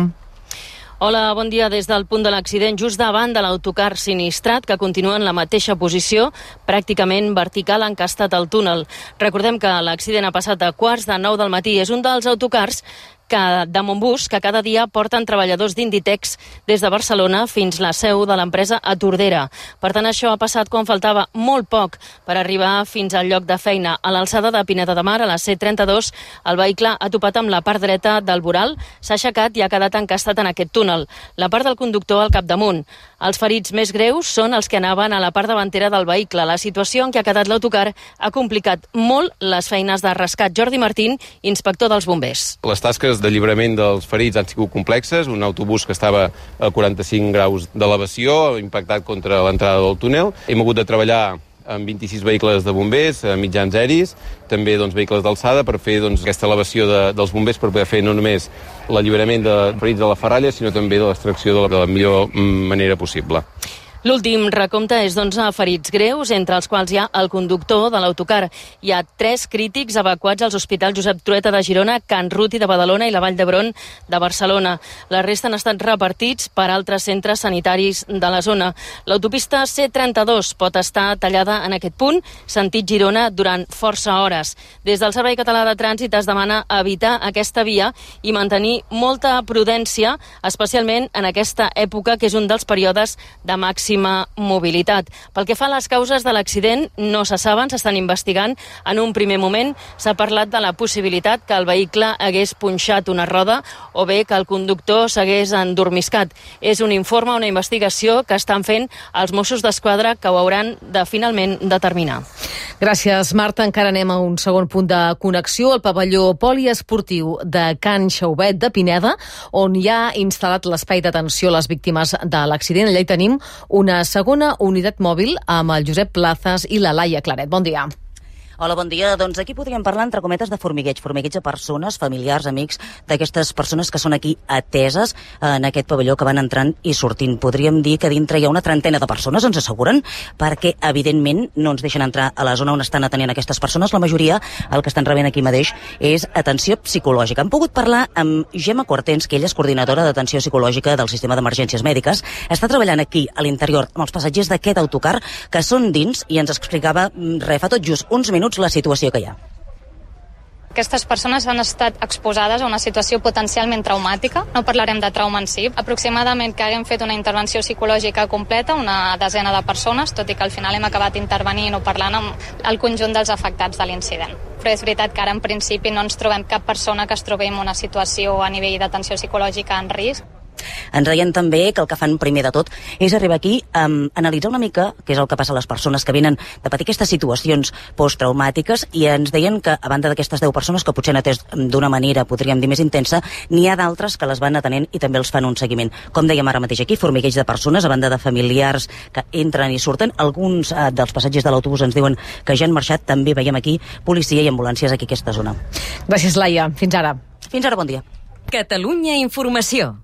Hola, bon dia. Des del punt de l'accident, just davant de l'autocar sinistrat, que continua en la mateixa posició, pràcticament vertical, encastat al túnel. Recordem que l'accident ha passat a quarts de nou del matí. És un dels autocars que, de Montbus, que cada dia porten treballadors d'Inditex des de Barcelona fins la seu de l'empresa a Tordera. Per tant, això ha passat quan faltava molt poc per arribar fins al lloc de feina. A l'alçada de Pineda de Mar, a la C trenta-dos, el vehicle ha topat amb la part dreta del voral, s'ha aixecat i ha quedat encastat en aquest túnel. La part del conductor al capdamunt. Els ferits més greus són els que anaven a la part davantera del vehicle. La situació en què ha quedat l'autocar ha complicat molt les feines de rescat. Jordi Martín, inspector dels bombers. Les tasques d'alliberament dels ferits han sigut complexes. Un autobús que estava a quaranta-cinc graus d'elevació, impactat contra l'entrada del túnel. Hem hagut de treballar amb vint-i-sis vehicles de bombers, mitjans aeris, també doncs, vehicles d'alçada per fer doncs, aquesta elevació de, dels bombers per poder fer no només l'alliberament de ferits de la ferralla, sinó també de l'extracció de, la, de la millor manera possible. L'últim recompte és d'onze ferits greus, entre els quals hi ha el conductor de l'autocar. Hi ha tres crítics evacuats als hospitals Josep Trueta de Girona, Can Ruti de Badalona i la Vall d'Hebron de Barcelona. La resta han estat repartits per altres centres sanitaris de la zona. L'autopista C trenta-dos pot estar tallada en aquest punt, sentit Girona, durant força hores. Des del Servei Català de Trànsit es demana evitar aquesta via i mantenir molta prudència, especialment en aquesta època, que és un dels períodes de màxim màxima mobilitat. Pel que fa a les causes de l'accident, no se saben, s'estan investigant. En un primer moment s'ha parlat de la possibilitat que el vehicle hagués punxat una roda o bé que el conductor s'hagués endormiscat. És un informe, una investigació que estan fent els Mossos d'Esquadra, que ho hauran de finalment determinar. Gràcies, Marta. Encara anem a un segon punt de connexió, el pavelló poliesportiu de Can Xauvet de Pineda, on hi ha instal·lat l'espai d'atenció a les víctimes de l'accident. Allà hi tenim una segona unitat mòbil amb el Josep Plazas i la Laia Claret. Bon dia. Hola, bon dia. Doncs aquí podríem parlar, entre cometes, de formigueig. Formigueig de persones, familiars, amics, d'aquestes persones que són aquí ateses en aquest pavelló, que van entrant i sortint. Podríem dir que dintre hi ha una trentena de persones, ens asseguren, perquè, evidentment, no ens deixen entrar a la zona on estan atenent aquestes persones. La majoria, el que estan rebent aquí mateix, és atenció psicològica. Hem pogut parlar amb Gemma Quartens, que ella és coordinadora d'atenció psicològica del sistema d'emergències mèdiques. Està treballant aquí, a l'interior, amb els passatgers d'aquest autocar, que són dins, i ens explicava, re, fa tot just uns minuts, la situació que hi ha. Aquestes persones han estat exposades a una situació potencialment traumàtica. No parlarem de trauma en si. Aproximadament que haguem fet una intervenció psicològica completa, una desena de persones, tot i que al final hem acabat intervenint o parlant amb el conjunt dels afectats de l'incident. Però és veritat que ara en principi no ens trobem cap persona que es trobi en una situació a nivell d'atenció psicològica en risc. Ens deien també que el que fan primer de tot és arribar aquí a um, analitzar una mica què és el que passa a les persones que venen de patir aquestes situacions posttraumàtiques, i ens deien que, a banda d'aquestes deu persones que potser han atès d'una manera, podríem dir, més intensa, n'hi ha d'altres que les van atenent i també els fan un seguiment. Com dèiem ara mateix aquí, formigueig de persones, a banda de familiars que entren i surten. Alguns uh, dels passatgers de l'autobús ens diuen que ja han marxat. També veiem aquí policia i ambulàncies aquí a aquesta zona. Gràcies, Laia. Fins ara. Fins ara, bon dia. Catalunya Informació.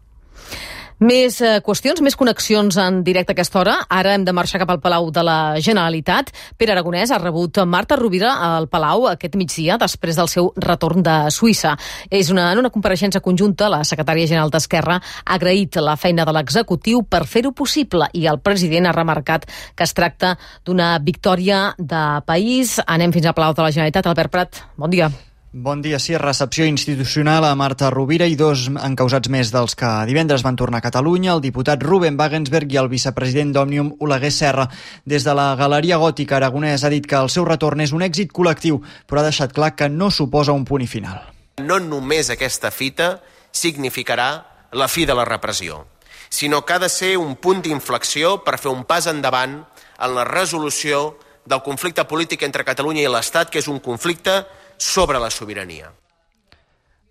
Més eh, qüestions, més connexions en directe a aquesta hora. Ara hem de marxar cap al Palau de la Generalitat. Pere Aragonès ha rebut Marta Rovira al Palau aquest migdia després del seu retorn de Suïssa. És una, en una compareixença conjunta, la secretària general d'Esquerra ha agraït la feina de l'executiu per fer-ho possible, i el president ha remarcat que es tracta d'una victòria de país. Anem fins al Palau de la Generalitat. Albert Prat, bon dia. Bon dia, sí, recepció institucional a Marta Rovira i dos encausats més dels que divendres van tornar a Catalunya, el diputat Ruben Wagensberg i el vicepresident d'Òmnium, Oleguer Serra. Des de la Galeria Gòtica, Aragonès ha dit que el seu retorn és un èxit col·lectiu, però ha deixat clar que no suposa un punt i final. No només aquesta fita significarà la fi de la repressió, sinó que ha de ser un punt d'inflexió per fer un pas endavant en la resolució del conflicte polític entre Catalunya i l'Estat, que és un conflicte sobre la sobirania.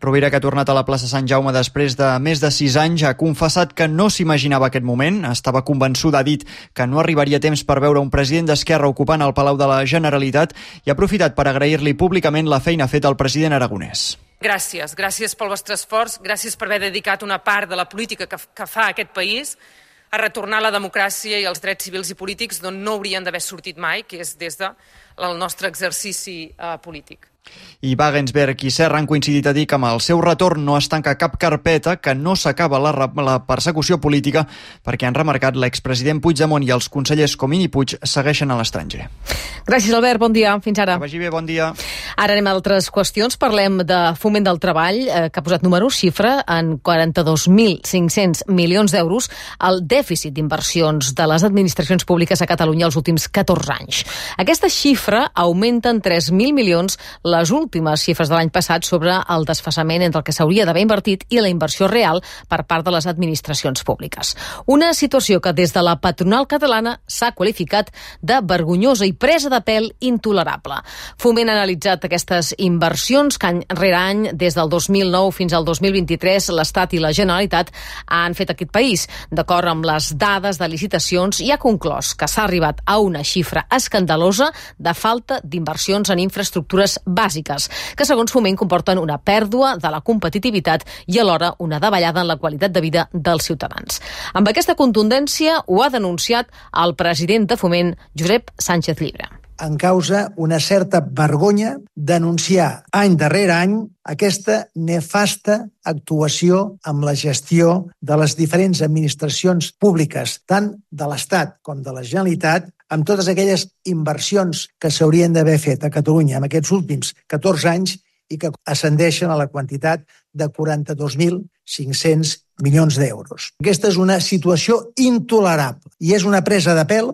Rovira, que ha tornat a la plaça Sant Jaume després de més de sis anys, ha confessat que no s'imaginava aquest moment. Estava convençuda, ha dit, que no arribaria temps per veure un president d'Esquerra ocupant el Palau de la Generalitat, i ha aprofitat per agrair-li públicament la feina feta al president aragonès. Gràcies, gràcies pel vostre esforç, gràcies per haver dedicat una part de la política que, que fa aquest país a retornar la democràcia i els drets civils i polítics d'on no haurien d'haver sortit mai, que és des del nostre exercici eh, polític. I Wagensberg i Serra han coincidit a dir que amb el seu retorn no es tanca cap carpeta, que no s'acaba la, la persecució política, perquè han remarcat l'expresident Puigdemont i els consellers Comín i Puig segueixen a l'estranger. Gràcies, Albert. Bon dia. Fins ara. Que vagi bé, bon dia. Ara anem a altres qüestions. Parlem de Foment del Treball, eh, que ha posat números, xifra en quaranta-dos mil cinc-cents milions d'euros el dèficit d'inversions de les administracions públiques a Catalunya els últims catorze anys. Aquesta xifra augmenta en tres mil milions les últimes xifres de l'any passat sobre el desfasament entre el que s'hauria d'haver invertit i la inversió real per part de les administracions públiques. Una situació que des de la patronal catalana s'ha qualificat de vergonyosa i presa de pèl intolerable. Foment ha analitzat aquestes inversions que any rere any, des del dos mil nou fins al dos mil vint-i-tres, l'Estat i la Generalitat han fet aquest país. D'acord amb les dades de licitacions, i ha conclòs que s'ha arribat a una xifra escandalosa de falta d'inversions en infraestructures bàsiques, que segons Foment comporten una pèrdua de la competitivitat i alhora una davallada en la qualitat de vida dels ciutadans. Amb aquesta contundència ho ha denunciat el president de Foment, Josep Sánchez Llibre. En causa una certa vergonya denunciar any darrere any aquesta nefasta actuació amb la gestió de les diferents administracions públiques, tant de l'Estat com de la Generalitat, amb totes aquelles inversions que s'haurien d'haver fet a Catalunya en aquests últims catorze anys i que ascendeixen a la quantitat de quaranta-dos mil cinc-cents milions d'euros. Aquesta és una situació intolerable i és una presa de pèl.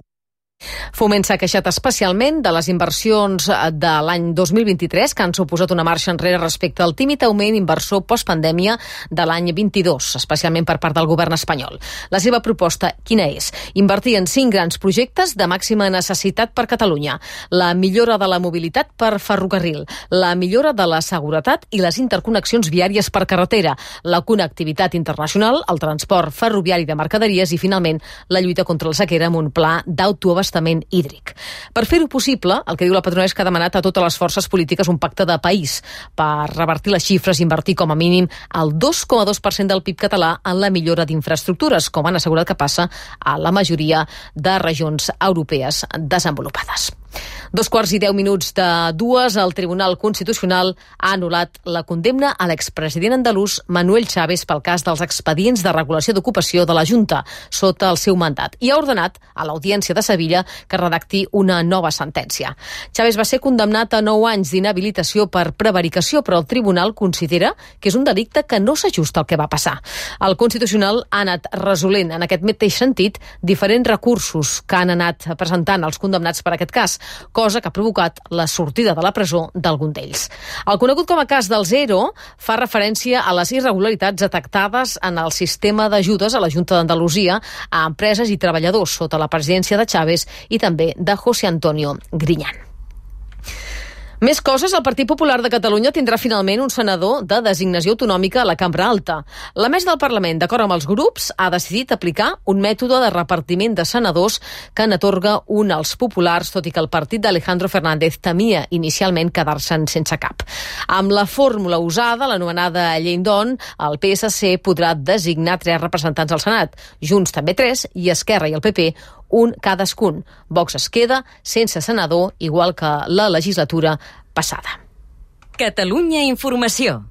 Foment s'ha queixat especialment de les inversions de l'any dos mil vint-i-tres, que han suposat una marxa enrere respecte al tímid augment inversor postpandèmia de l'any vint-i-dos, especialment per part del govern espanyol. La seva proposta, quina és? Invertir en cinc grans projectes de màxima necessitat per Catalunya. La millora de la mobilitat per ferrocarril, la millora de la seguretat i les interconnexions viàries per carretera, la connectivitat internacional, el transport ferroviari de mercaderies i, finalment, la lluita contra la sequera amb un pla d'autoabastament hídric. Per fer-ho possible, el que diu la patronal és que ha demanat a totes les forces polítiques un pacte de país per revertir les xifres i invertir com a mínim el dos coma dos per cent del P I B català en la millora d'infraestructures, com han assegurat que passa a la majoria de regions europees desenvolupades. Dos quarts i deu minuts de dues, el Tribunal Constitucional ha anul·lat la condemna a l'expresident andalús Manuel Chávez pel cas dels expedients de regulació d'ocupació de la Junta sota el seu mandat i ha ordenat a l'Audiència de Sevilla que redacti una nova sentència. Chávez va ser condemnat a nou anys d'inhabilitació per prevaricació, però el Tribunal considera que és un delicte que no s'ajusta al que va passar. El Constitucional ha anat resolent en aquest mateix sentit diferents recursos que han anat presentant els condemnats per aquest cas, cosa que ha provocat la sortida de la presó d'algun d'ells. El conegut com a cas dels ERO fa referència a les irregularitats detectades en el sistema d'ajudes a la Junta d'Andalusia a empreses i treballadors sota la presidència de Chávez i també de José Antonio Griñán. Més coses, el Partit Popular de Catalunya tindrà finalment un senador de designació autonòmica a la Cambra Alta. La mesa del Parlament, d'acord amb els grups, ha decidit aplicar un mètode de repartiment de senadors que n'atorga un als populars, tot i que el partit d'Alejandro Fernández temia inicialment quedar-se'n sense cap. Amb la fórmula usada, l'anomenada llei Don, el P S C podrà designar tres representants al Senat, Junts també tres i Esquerra i el P P un cadascun. Vox es queda sense senador, igual que la legislatura passada. Catalunya Informació.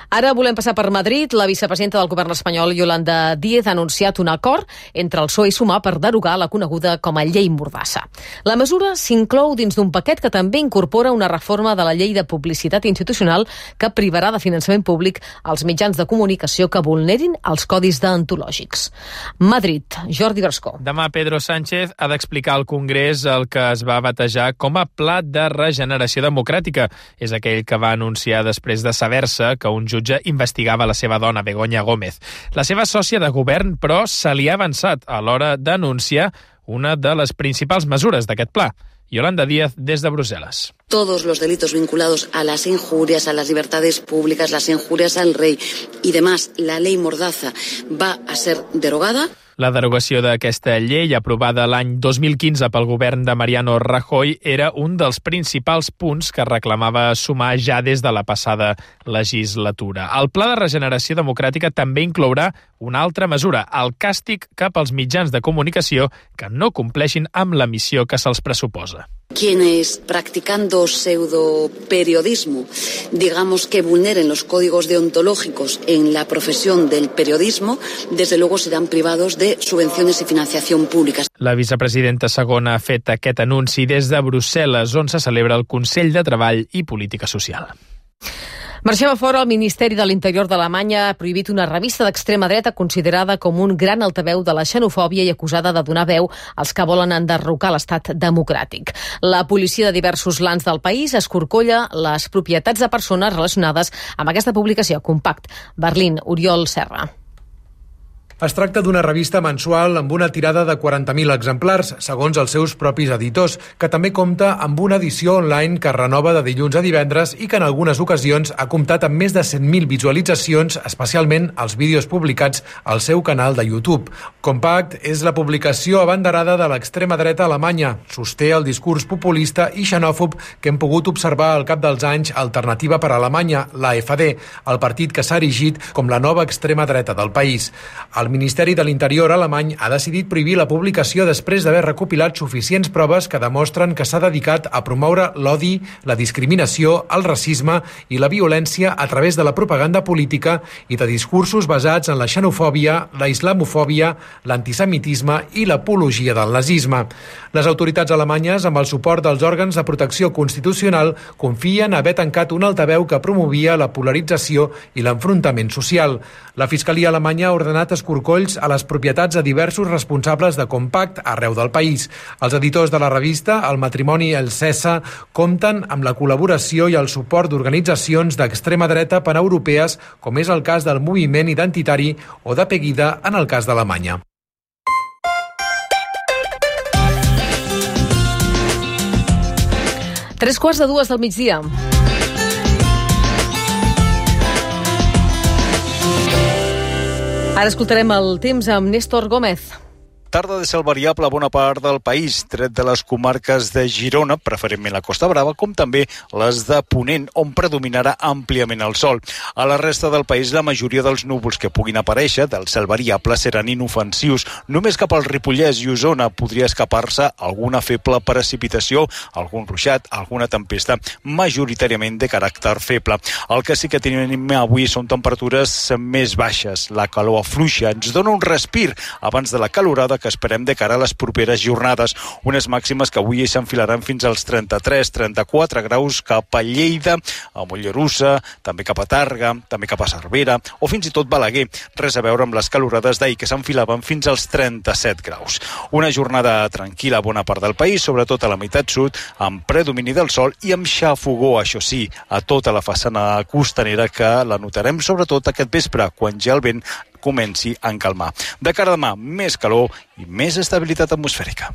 Ara volem passar per Madrid. La vicepresidenta del govern espanyol, Yolanda Díaz, ha anunciat un acord entre el P S O E i Sumar per derogar la coneguda com a llei Mordassa. La mesura s'inclou dins d'un paquet que també incorpora una reforma de la llei de publicitat institucional que privarà de finançament públic als mitjans de comunicació que vulnerin els codis deontològics. Madrid, Jordi Brascó. Demà Pedro Sánchez ha d'explicar al Congrés el que es va batejar com a Pla de Regeneració Democràtica. És aquell que va anunciar després de saber-se que un jutge investigava la seva dona, Begoña Gómez. La seva sòcia de govern, però, se li ha avançat a l'hora d'anunciar una de les principals mesures d'aquest pla. Yolanda Díaz, des de Brussel·les. Todos los delitos vinculados a las injurias, a las libertades públicas, las injurias al rey y demás, la ley Mordaza va a ser derogada. La derogació d'aquesta llei, aprovada l'any dos mil quinze pel govern de Mariano Rajoy, era un dels principals punts que reclamava Sumar ja des de la passada legislatura. El Pla de Regeneració Democràtica també inclourà una altra mesura, el càstig cap als mitjans de comunicació que no compleixin amb la missió que se'ls pressuposa. Quienes, practicando pseudoperiodismo, digamos que vulneren los códigos deontológicos en la profesión del periodismo, desde luego serán privados de subvenciones y financiación públicas. La vicepresidenta segona ha fet aquest anunci des de Brussel·les, on se celebra el Consell de Treball i Política Social. Marxem a fora. El Ministeri de l'Interior d'Alemanya ha prohibit una revista d'extrema dreta considerada com un gran altaveu de la xenofòbia i acusada de donar veu als que volen enderrocar l'estat democràtic. La policia de diversos lands del país escorcolla les propietats de persones relacionades amb aquesta publicació. Compact. Berlín, Oriol Serra. Es tracta d'una revista mensual amb una tirada de quaranta mil exemplars, segons els seus propis editors, que també compta amb una edició online que es renova de dilluns a divendres i que en algunes ocasions ha comptat amb més de cent mil visualitzacions, especialment els vídeos publicats al seu canal de YouTube. Compact és la publicació abanderada de l'extrema dreta alemanya. Sosté el discurs populista i xenòfob que hem pogut observar al cap dels anys Alternativa per Alemanya, l'A F D, el partit que s'ha erigit com la nova extrema dreta del país. El El Ministeri de l'Interior alemany ha decidit prohibir la publicació després d'haver recopilat suficients proves que demostren que s'ha dedicat a promoure l'odi, la discriminació, el racisme i la violència a través de la propaganda política i de discursos basats en la xenofòbia, la islamofòbia, l'antisemitisme i l'apologia del nazisme. Les autoritats alemanyes, amb el suport dels òrgans de protecció constitucional, confien haver tancat un altaveu que promovia la polarització i l'enfrontament social. La Fiscalia alemanya ha ordenat escorcolls a les propietats de diversos responsables de Compact arreu del país. Els editors de la revista, El matrimoni El Cessa, compten amb la col·laboració i el suport d'organitzacions d'extrema dreta paneuropees, com és el cas del moviment identitari o de Pegida en el cas d'Alemanya. Tres quarts de dues del migdia. Ara escoltarem el temps amb Néstor Gómez. Tarda de cel variable a bona part del país, tret de les comarques de Girona, preferentment la Costa Brava, com també les de Ponent, on predominarà àmpliament el sol. A la resta del país, la majoria dels núvols que puguin aparèixer del cel variable seran inofensius. Només cap al Ripollès i Osona podria escapar-se alguna feble precipitació, algun ruixat, alguna tempesta, majoritàriament de caràcter feble. El que sí que tenim avui són temperatures més baixes. La calor afluixa ens dona un respir abans de la calorada que esperem de cara a les properes jornades. Unes màximes que avui s'enfilaran fins als trenta-tres trenta-quatre graus cap a Lleida, a Mollerussa, també cap a Tàrrega, també cap a Cervera o fins i tot Balaguer. Res a veure amb les calorades d'ahir que s'enfilaven fins als trenta-set graus. Una jornada tranquil·la a bona part del país, sobretot a la meitat sud, amb predomini del sol i amb xafogó, això sí, a tota la façana costanera, que la notarem sobretot aquest vespre, quan ja el vent comenci a encalmar. De cara a demà, més calor i més estabilitat atmosfèrica.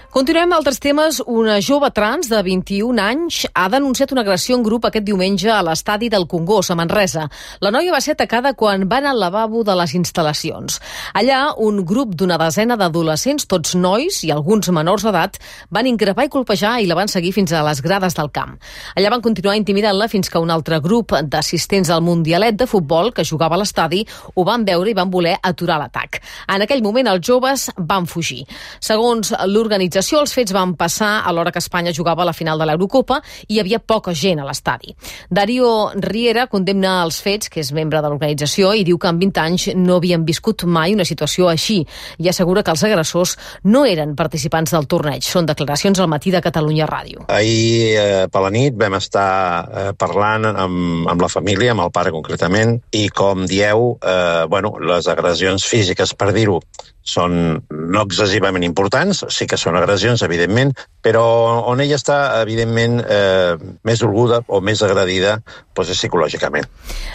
Continuem amb altres temes. Una jove trans de vint-i-un anys ha denunciat una agressió en grup aquest diumenge a l'estadi del Congost, a Manresa. La noia va ser atacada quan va anar al lavabo de les instal·lacions. Allà, un grup d'una desena d'adolescents, tots nois i alguns menors d'edat, van increpar i colpejar i la van seguir fins a les grades del camp. Allà van continuar intimidant-la fins que un altre grup d'assistents al Mundialet de futbol que jugava a l'estadi ho van veure i van voler aturar l'atac. En aquell moment, els joves van fugir. Segons l'organització, els fets van passar a l'hora que Espanya jugava a la final de l'Eurocopa i hi havia poca gent a l'estadi. Darío Riera condemna els fets, que és membre de l'organització, i diu que en vint anys no havien viscut mai una situació així i assegura que els agressors no eren participants del torneig. Són declaracions al Matí de Catalunya Ràdio. Ahir eh, per la nit vam estar eh, parlant amb, amb la família, amb el pare concretament, i com dieu, eh, bueno, les agressions físiques, per dir-ho, són no excessivament importants, sí que són agressions, evidentment, però on ella està, evidentment, eh, més dolguda o més agredida doncs, psicològicament.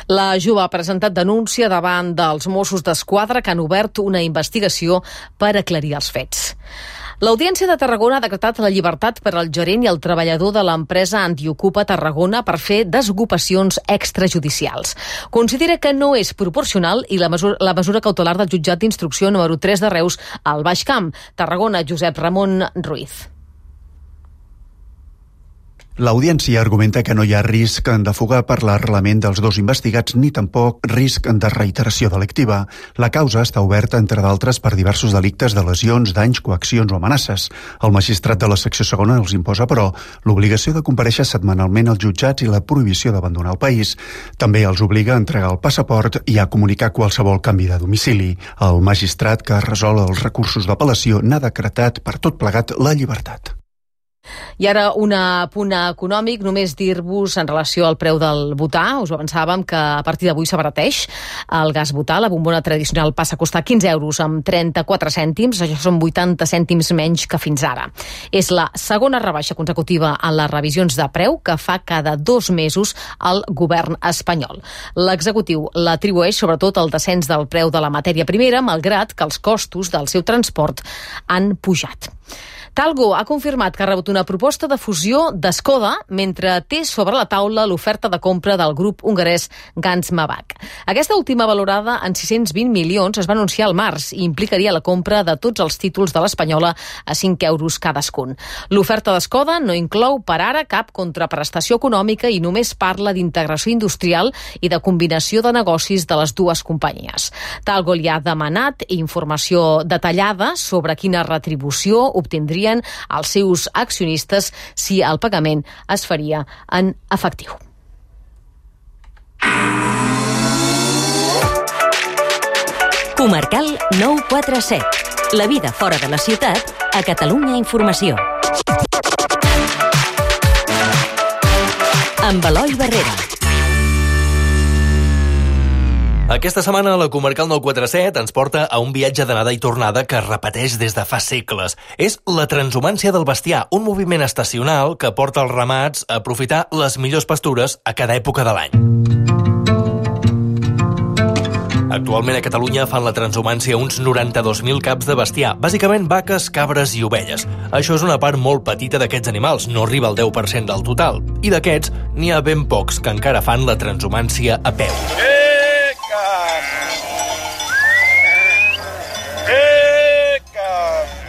La jove ha presentat denúncia davant dels Mossos d'Esquadra, que han obert una investigació per aclarir els fets. L'Audiència de Tarragona ha decretat la llibertat per al gerent i el treballador de l'empresa Antiocupa Tarragona per fer desocupacions extrajudicials. Considera que no és proporcional i la mesura, la mesura cautelar del jutjat d'instrucció número tres de Reus al Baix Camp. Tarragona, Josep Ramon Ruiz. L'audiència argumenta que no hi ha risc de fuga per l'arrelament dels dos investigats ni tampoc risc de reiteració delictiva. La causa està oberta, entre d'altres, per diversos delictes de lesions, danys, coaccions o amenaces. El magistrat de la secció segona els imposa, però, l'obligació de comparèixer setmanalment als jutjats i la prohibició d'abandonar el país. També els obliga a entregar el passaport i a comunicar qualsevol canvi de domicili. El magistrat que resol els recursos d'apel·lació n'ha decretat per tot plegat la llibertat. I ara un apunt econòmic, només dir-vos en relació al preu del butà. Us ho avançàvem que a partir d'avui s'abarateix el gas butà. La bombona tradicional passa a costar quinze euros amb trenta-quatre cèntims. Això són vuitanta cèntims menys que fins ara. És la segona rebaixa consecutiva en les revisions de preu que fa cada dos mesos el govern espanyol. L'executiu l'atribueix sobretot al descens del preu de la matèria primera, malgrat que els costos del seu transport han pujat. Talgo ha confirmat que ha rebut una proposta de fusió d'Skoda mentre té sobre la taula l'oferta de compra del grup hongarès Gans Mabak. Aquesta última, valorada en sis-cents vint milions, es va anunciar al març i implicaria la compra de tots els títols de l'espanyola a cinc euros cadascun. L'oferta d'Skoda no inclou per ara cap contraprestació econòmica i només parla d'integració industrial i de combinació de negocis de les dues companyies. Talgo li ha demanat informació detallada sobre quina retribució obtindrien els seus accionistes si el pagament es faria en efectiu. Comarcal nou quatre set. La vida fora de la ciutat a Catalunya Informació. Amb Eloi Barrera. Aquesta setmana la Comarcal nou quatre set ens porta a un viatge d'anada i tornada que es repeteix des de fa segles. És la transhumància del bestiar, un moviment estacional que porta els ramats a aprofitar les millors pastures a cada època de l'any. Actualment a Catalunya fan la transhumància uns noranta-dos mil caps de bestiar, bàsicament vaques, cabres i ovelles. Això és una part molt petita d'aquests animals, no arriba al deu per cent del total. I d'aquests, n'hi ha ben pocs que encara fan la transhumància a peu.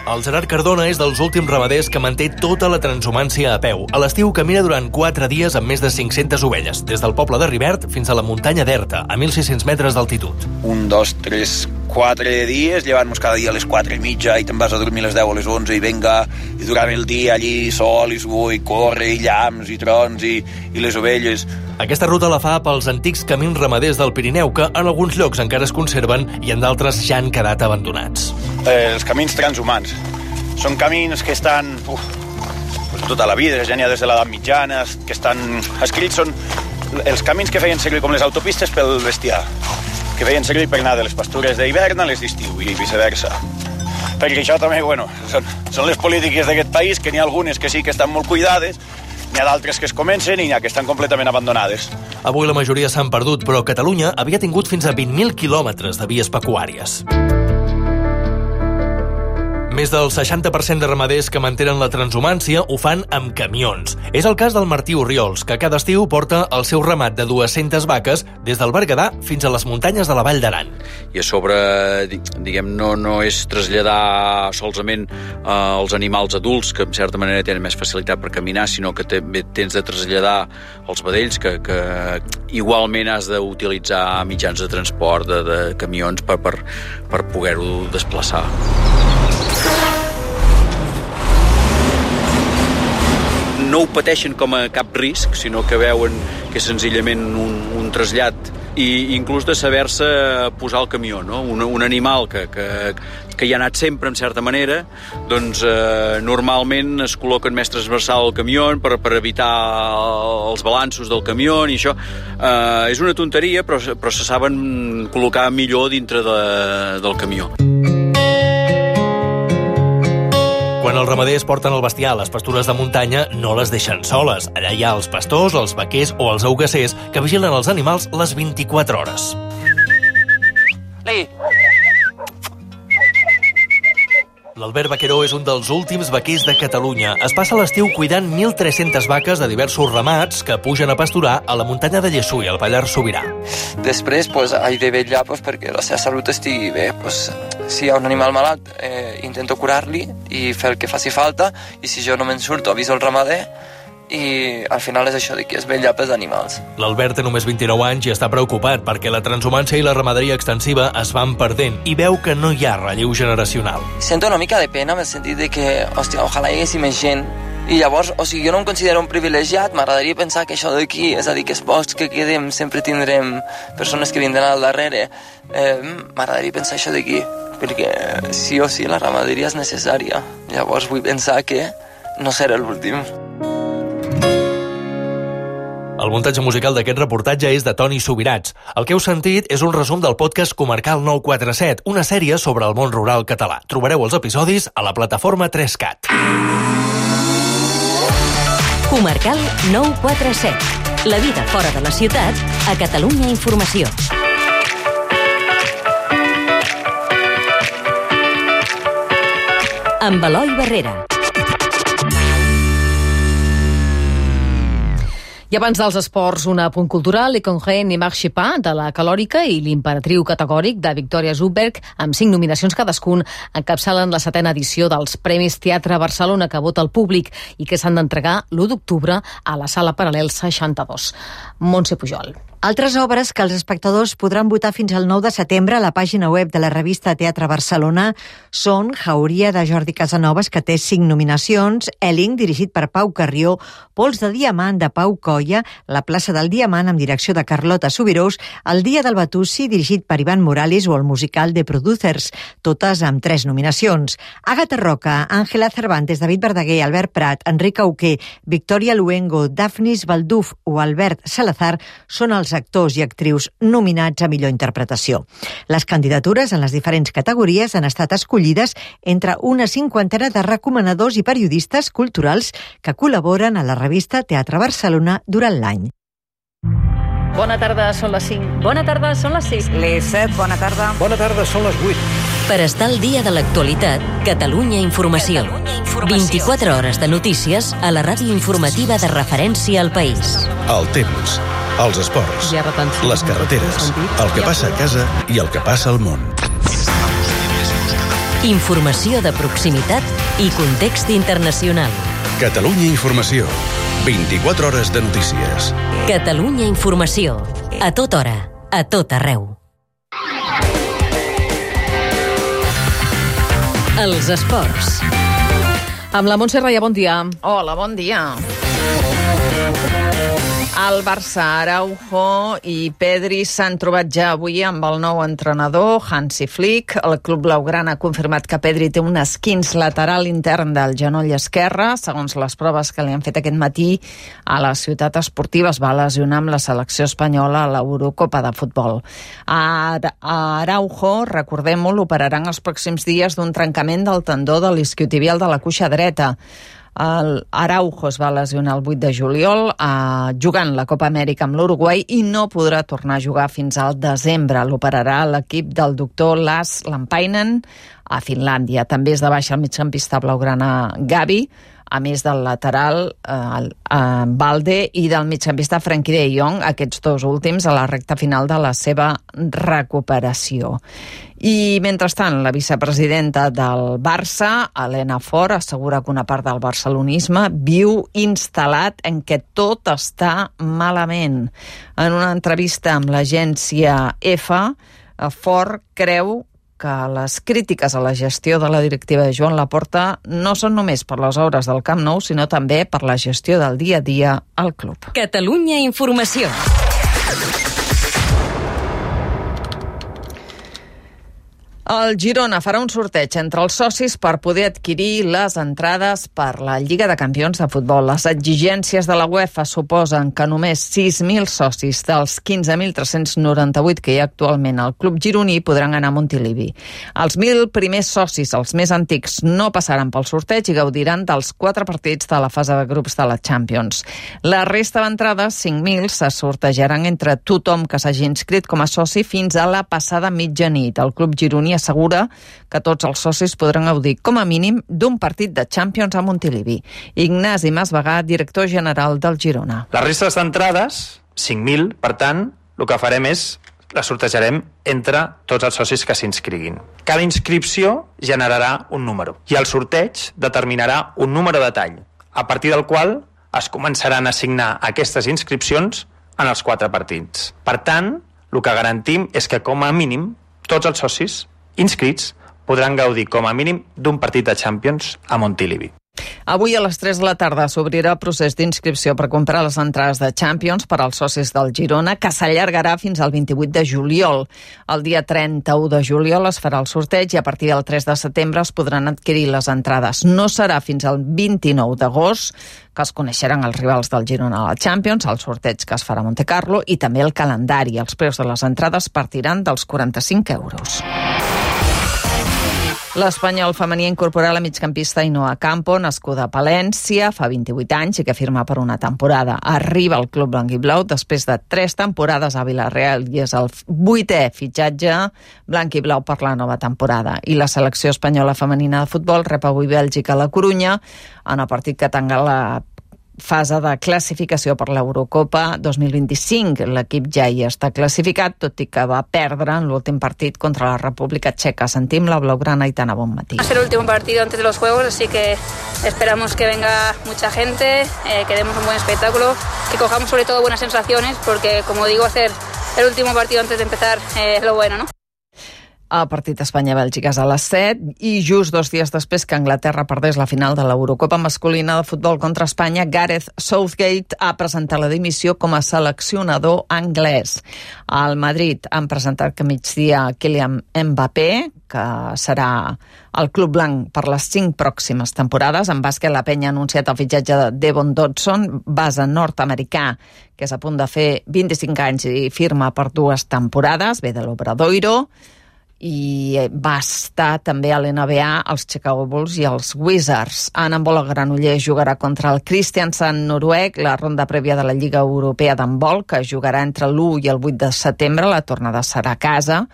El Gerard Cardona és dels últims ramaders que manté tota la transhumància a peu. A l'estiu camina durant quatre dies amb més de cinc-centes ovelles, des del poble de Rivert fins a la muntanya d'Erta, a mil sis-cents metres d'altitud. Un, dos, tres, quatre dies, llevant-nos cada dia a les quatre i mitja i te'n vas a dormir a les deu o a les onze i venga, i durant el dia allí sol i suor i corre i llamps i trons i, i les ovelles. Aquesta ruta la fa pels antics camins ramaders del Pirineu, que en alguns llocs encara es conserven i en d'altres ja han quedat abandonats. Eh, els camins transhumans són camins que estan uf, tota la vida, ja n'hi ha des de l'edat mitjana, que estan escrits, són els camins que feien servir com les autopistes pel bestiar, que feien servir per anar de les pastures d'hivern a les d'estiu i viceversa. Perquè això també, bueno, són, són les polítiques d'aquest país, que n'hi ha algunes que sí que estan molt cuidades, n'hi ha d'altres que es comencen i n'hi ha que estan completament abandonades. Avui la majoria s'han perdut, però Catalunya havia tingut fins a vint mil quilòmetres de vies pecuàries. Més del seixanta per cent de ramaders que mantenen la transhumància ho fan amb camions. És el cas del Martí Orriols, que cada estiu porta el seu ramat de dues-centes vaques des del Berguedà fins a les muntanyes de la Vall d'Aran. I a sobre, diguem, no, no és traslladar solament eh, els animals adults, que en certa manera tenen més facilitat per caminar, sinó que també tens de traslladar els vedells, que, que igualment has d'utilitzar mitjans de transport, de, de camions, per, per, per poder-ho desplaçar. No ho pateixen com a cap risc, sinó que veuen que és senzillament un, un trasllat i inclús de saber-se posar al camió, no? Un, un animal que, que, que hi ha anat sempre, en certa manera, doncs eh, normalment es col·loquen més transversal al camió per, per evitar els balanços del camió i això. Eh, és una tonteria, però, però se saben col·locar millor dintre de, del camió. Quan els ramaders porten el bestiar a les pastures de muntanya, no les deixen soles. Allà hi ha els pastors, els vaquers o els augassers que vigilen els animals les vint-i-quatre hores. L'Albert Vaqueró és un dels últims vaquers de Catalunya. Es passa l'estiu cuidant mil tres-centes vaques de diversos ramats que pugen a pasturar a la muntanya de Llessui, al Pallars Sobirà. Després, pues, he de vetllar pues, perquè la seva salut estigui bé. Pues, si hi ha un animal malalt, eh, intento curar-li i fer el que faci falta, i si jo no me'n surto, aviso el ramader, i al final és això de que es vetlla pels animals. L'Albert té només vint-i-nou anys i està preocupat perquè la transhumància i la ramaderia extensiva es van perdent i veu que no hi ha relleu generacional. Sento una mica de pena en el sentit de que, hòstia, ojalà hi haguessi més gent. I llavors, o sigui, jo no em considero un privilegiat, m'agradaria pensar que això d'aquí, és a dir, que els pocs que quedem sempre tindrem persones que vindran al darrere. Eh, m'agradaria pensar això d'aquí, perquè sí o sí la ramaderia és necessària. Llavors vull pensar que no serà l'últim. El muntatge musical d'aquest reportatge és de Toni Subirats. El que heu sentit és un resum del podcast Comarcal nou quatre set, una sèrie sobre el món rural català. Trobareu els episodis a la plataforma tres cat. Comarcal nou quatre set. La vida fora de la ciutat a Catalunya Informació. Amb Eloi Barrera. I abans dels esports, un apunt cultural, Le Congrès ne marche pas, de la Calòrica, i l'imperatriu categòric de Victoria Zubberg, amb cinc nominacions cadascun, encapçalen la setena edició dels Premis Teatre Barcelona que vota el públic i que s'han d'entregar l'u d'octubre a la Sala Paral·lel seixanta-dos. Montse Pujol. Altres obres que els espectadors podran votar fins al nou de setembre a la pàgina web de la revista Teatre Barcelona són Jauria, de Jordi Casanovas, que té cinc nominacions, Elling, dirigit per Pau Carrió, Pols de Diamant, de Pau Colla, La plaça del Diamant, amb direcció de Carlota Subirós, El dia del Batussi, dirigit per Ivan Morales, o el musical The Producers, totes amb tres nominacions. Àgata Roca, Àngela Cervantes, David Verdaguer, Albert Prat, Enric Auqué, Victoria Luengo, Dafnis Balduf o Albert Salazar són els actors i actrius nominats a millor interpretació. Les candidatures en les diferents categories han estat escollides entre una cinquantena de recomanadors i periodistes culturals que col·laboren a la revista Teatre Barcelona durant l'any. Bona tarda, són les cinc. Bona tarda, són les sis. Les set, bona tarda. Bona tarda, són les vuit. Per estar al dia de l'actualitat, Catalunya Informació. vint-i-quatre hores de notícies a la ràdio informativa de referència al país. El temps, els esports, les carreteres, el que passa a casa i el que passa al món. Informació de proximitat i context internacional. Catalunya Informació. vint-i-quatre hores de notícies. Catalunya Informació. A tota hora, a tot arreu. Els esports. Amb la Montse Raya, bon dia. Hola, bon dia. El Barça, Araujo i Pedri s'han trobat ja avui amb el nou entrenador, Hansi Flick. El club blaugrana ha confirmat que Pedri té un esquinç lateral intern del genoll esquerre. Segons les proves que li han fet aquest matí a la ciutat esportiva, es va lesionar amb la selecció espanyola a l'Eurocopa de futbol. A Araujo, recordem-ho, l'operaran els pròxims dies d'un trencament del tendó de l'isquiotibial de la cuixa dreta. El Araujo es va lesionar el vuit de juliol eh, jugant la Copa Amèrica amb l'Uruguai i no podrà tornar a jugar fins al desembre. L'operarà l'equip del doctor Lars Lampainen a Finlàndia. També és de baixa el migcampista blaugrana Gavi, a més del lateral eh, eh, Balde i del migcampista Frenkie de Jong, aquests dos últims a la recta final de la seva recuperació. I, mentrestant, la vicepresidenta del Barça, Elena Fort, assegura que una part del barcelonisme viu instal·lat en què tot està malament. En una entrevista amb l'agència EFA, Fort creu que les crítiques a la gestió de la directiva de Joan Laporta no són només per les obres del Camp Nou, sinó també per la gestió del dia a dia al club. Catalunya Informació. El Girona farà un sorteig entre els socis per poder adquirir les entrades per la Lliga de Campions de futbol. Les exigències de la UEFA suposen que només sis mil socis dels quinze mil tres-cents noranta-vuit que hi ha actualment al club gironí podran anar a Montilivi. Els mil primers socis, els més antics, no passaran pel sorteig i gaudiran dels quatre partits de la fase de grups de la Champions. La resta d'entrades, cinc mil, se sortejaran entre tothom que s'hagi inscrit com a soci fins a la passada mitjanit. El club gironí assegura que tots els socis podran gaudir com a mínim d'un partit de Champions a Montilivi. Ignasi Masvegà, director general del Girona. Les restes d'entrades, cinc mil, per tant, el que farem és les sortejarem entre tots els socis que s'inscriguin. Cada inscripció generarà un número i el sorteig determinarà un número de tall, a partir del qual es començaran a assignar aquestes inscripcions en els quatre partits. Per tant, el que garantim és que com a mínim tots els socis inscrits podran gaudir com a mínim d'un partit de Champions a Montilivi. Avui a les tres de la tarda s'obrirà el procés d'inscripció per comprar les entrades de Champions per als socis del Girona, que s'allargarà fins al vint-i-vuit de juliol. El dia trenta-u de juliol es farà el sorteig i a partir del tres de setembre es podran adquirir les entrades. No serà fins al vint-i-nou d'agost que es coneixeran els rivals del Girona a la Champions, el sorteig que es farà a Montecarlo i també el calendari. Els preus de les entrades partiran dels quaranta-cinc euros. L'Espanyol femení incorporà la migcampista Ainhoa Campo, nascuda a Palència, fa vint-i-vuit anys i que firma per una temporada. Arriba al club blanquiblau després de tres temporades a Villarreal i és el vuitè fitxatge blanquiblau per la nova temporada. I la selecció espanyola femenina de futbol rep avui Bèlgica a la Corunya en el partit que tanca la fase de classificació per l'Eurocopa dos mil vint-i-cinc. L'equip ja hi està classificat, tot i que va perdre en l'últim partit contra la República Txeca. Sentim la blaugrana Aitana Bonmatí. Va a ser el último partido antes de los Juegos, así que esperamos que venga mucha gente, eh, que demos un buen espectáculo, que cojamos sobre todo buenas sensaciones, porque, como digo, hacer el último partido antes de empezar eh, es lo bueno, ¿no? El partit Espanya-Bèlgica és a les set i just dos dies després que Anglaterra perdés la final de l'Eurocopa masculina de futbol contra Espanya, Gareth Southgate ha presentat la dimissió com a seleccionador anglès. Al Madrid han presentat que migdia Kylian Mbappé, que serà el club blanc per les cinc pròximes temporades. En bàsquet, la Penya ha anunciat el fitxatge de Devon Dodson, base nord-americà, que és a punt de fer vint-i-cinc anys i firma per dues temporades, ve de l'Obradoiro, i va estar també a l'N B A, els Chicago Bulls i els Wizards. En handbol, el Granollers jugarà contra el Kristiansand noruec, la ronda prèvia de la Lliga Europea d'handbol, que jugarà entre l'u i el vuit de setembre, la tornada serà a casa.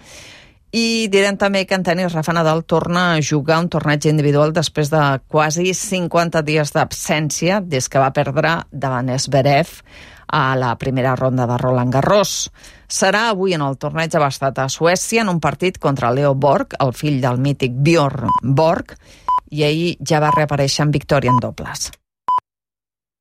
I direm també que en tenis Rafa Nadal torna a jugar un torneig individual després de quasi cinquanta dies d'absència des que va perdre davant Zverev a la primera ronda de Roland Garros. Serà avui en el torneig de Bastad a Suècia en un partit contra Leo Borg, el fill del mític Bjorn Borg, i ahir ja va reaparèixer en victòria en dobles.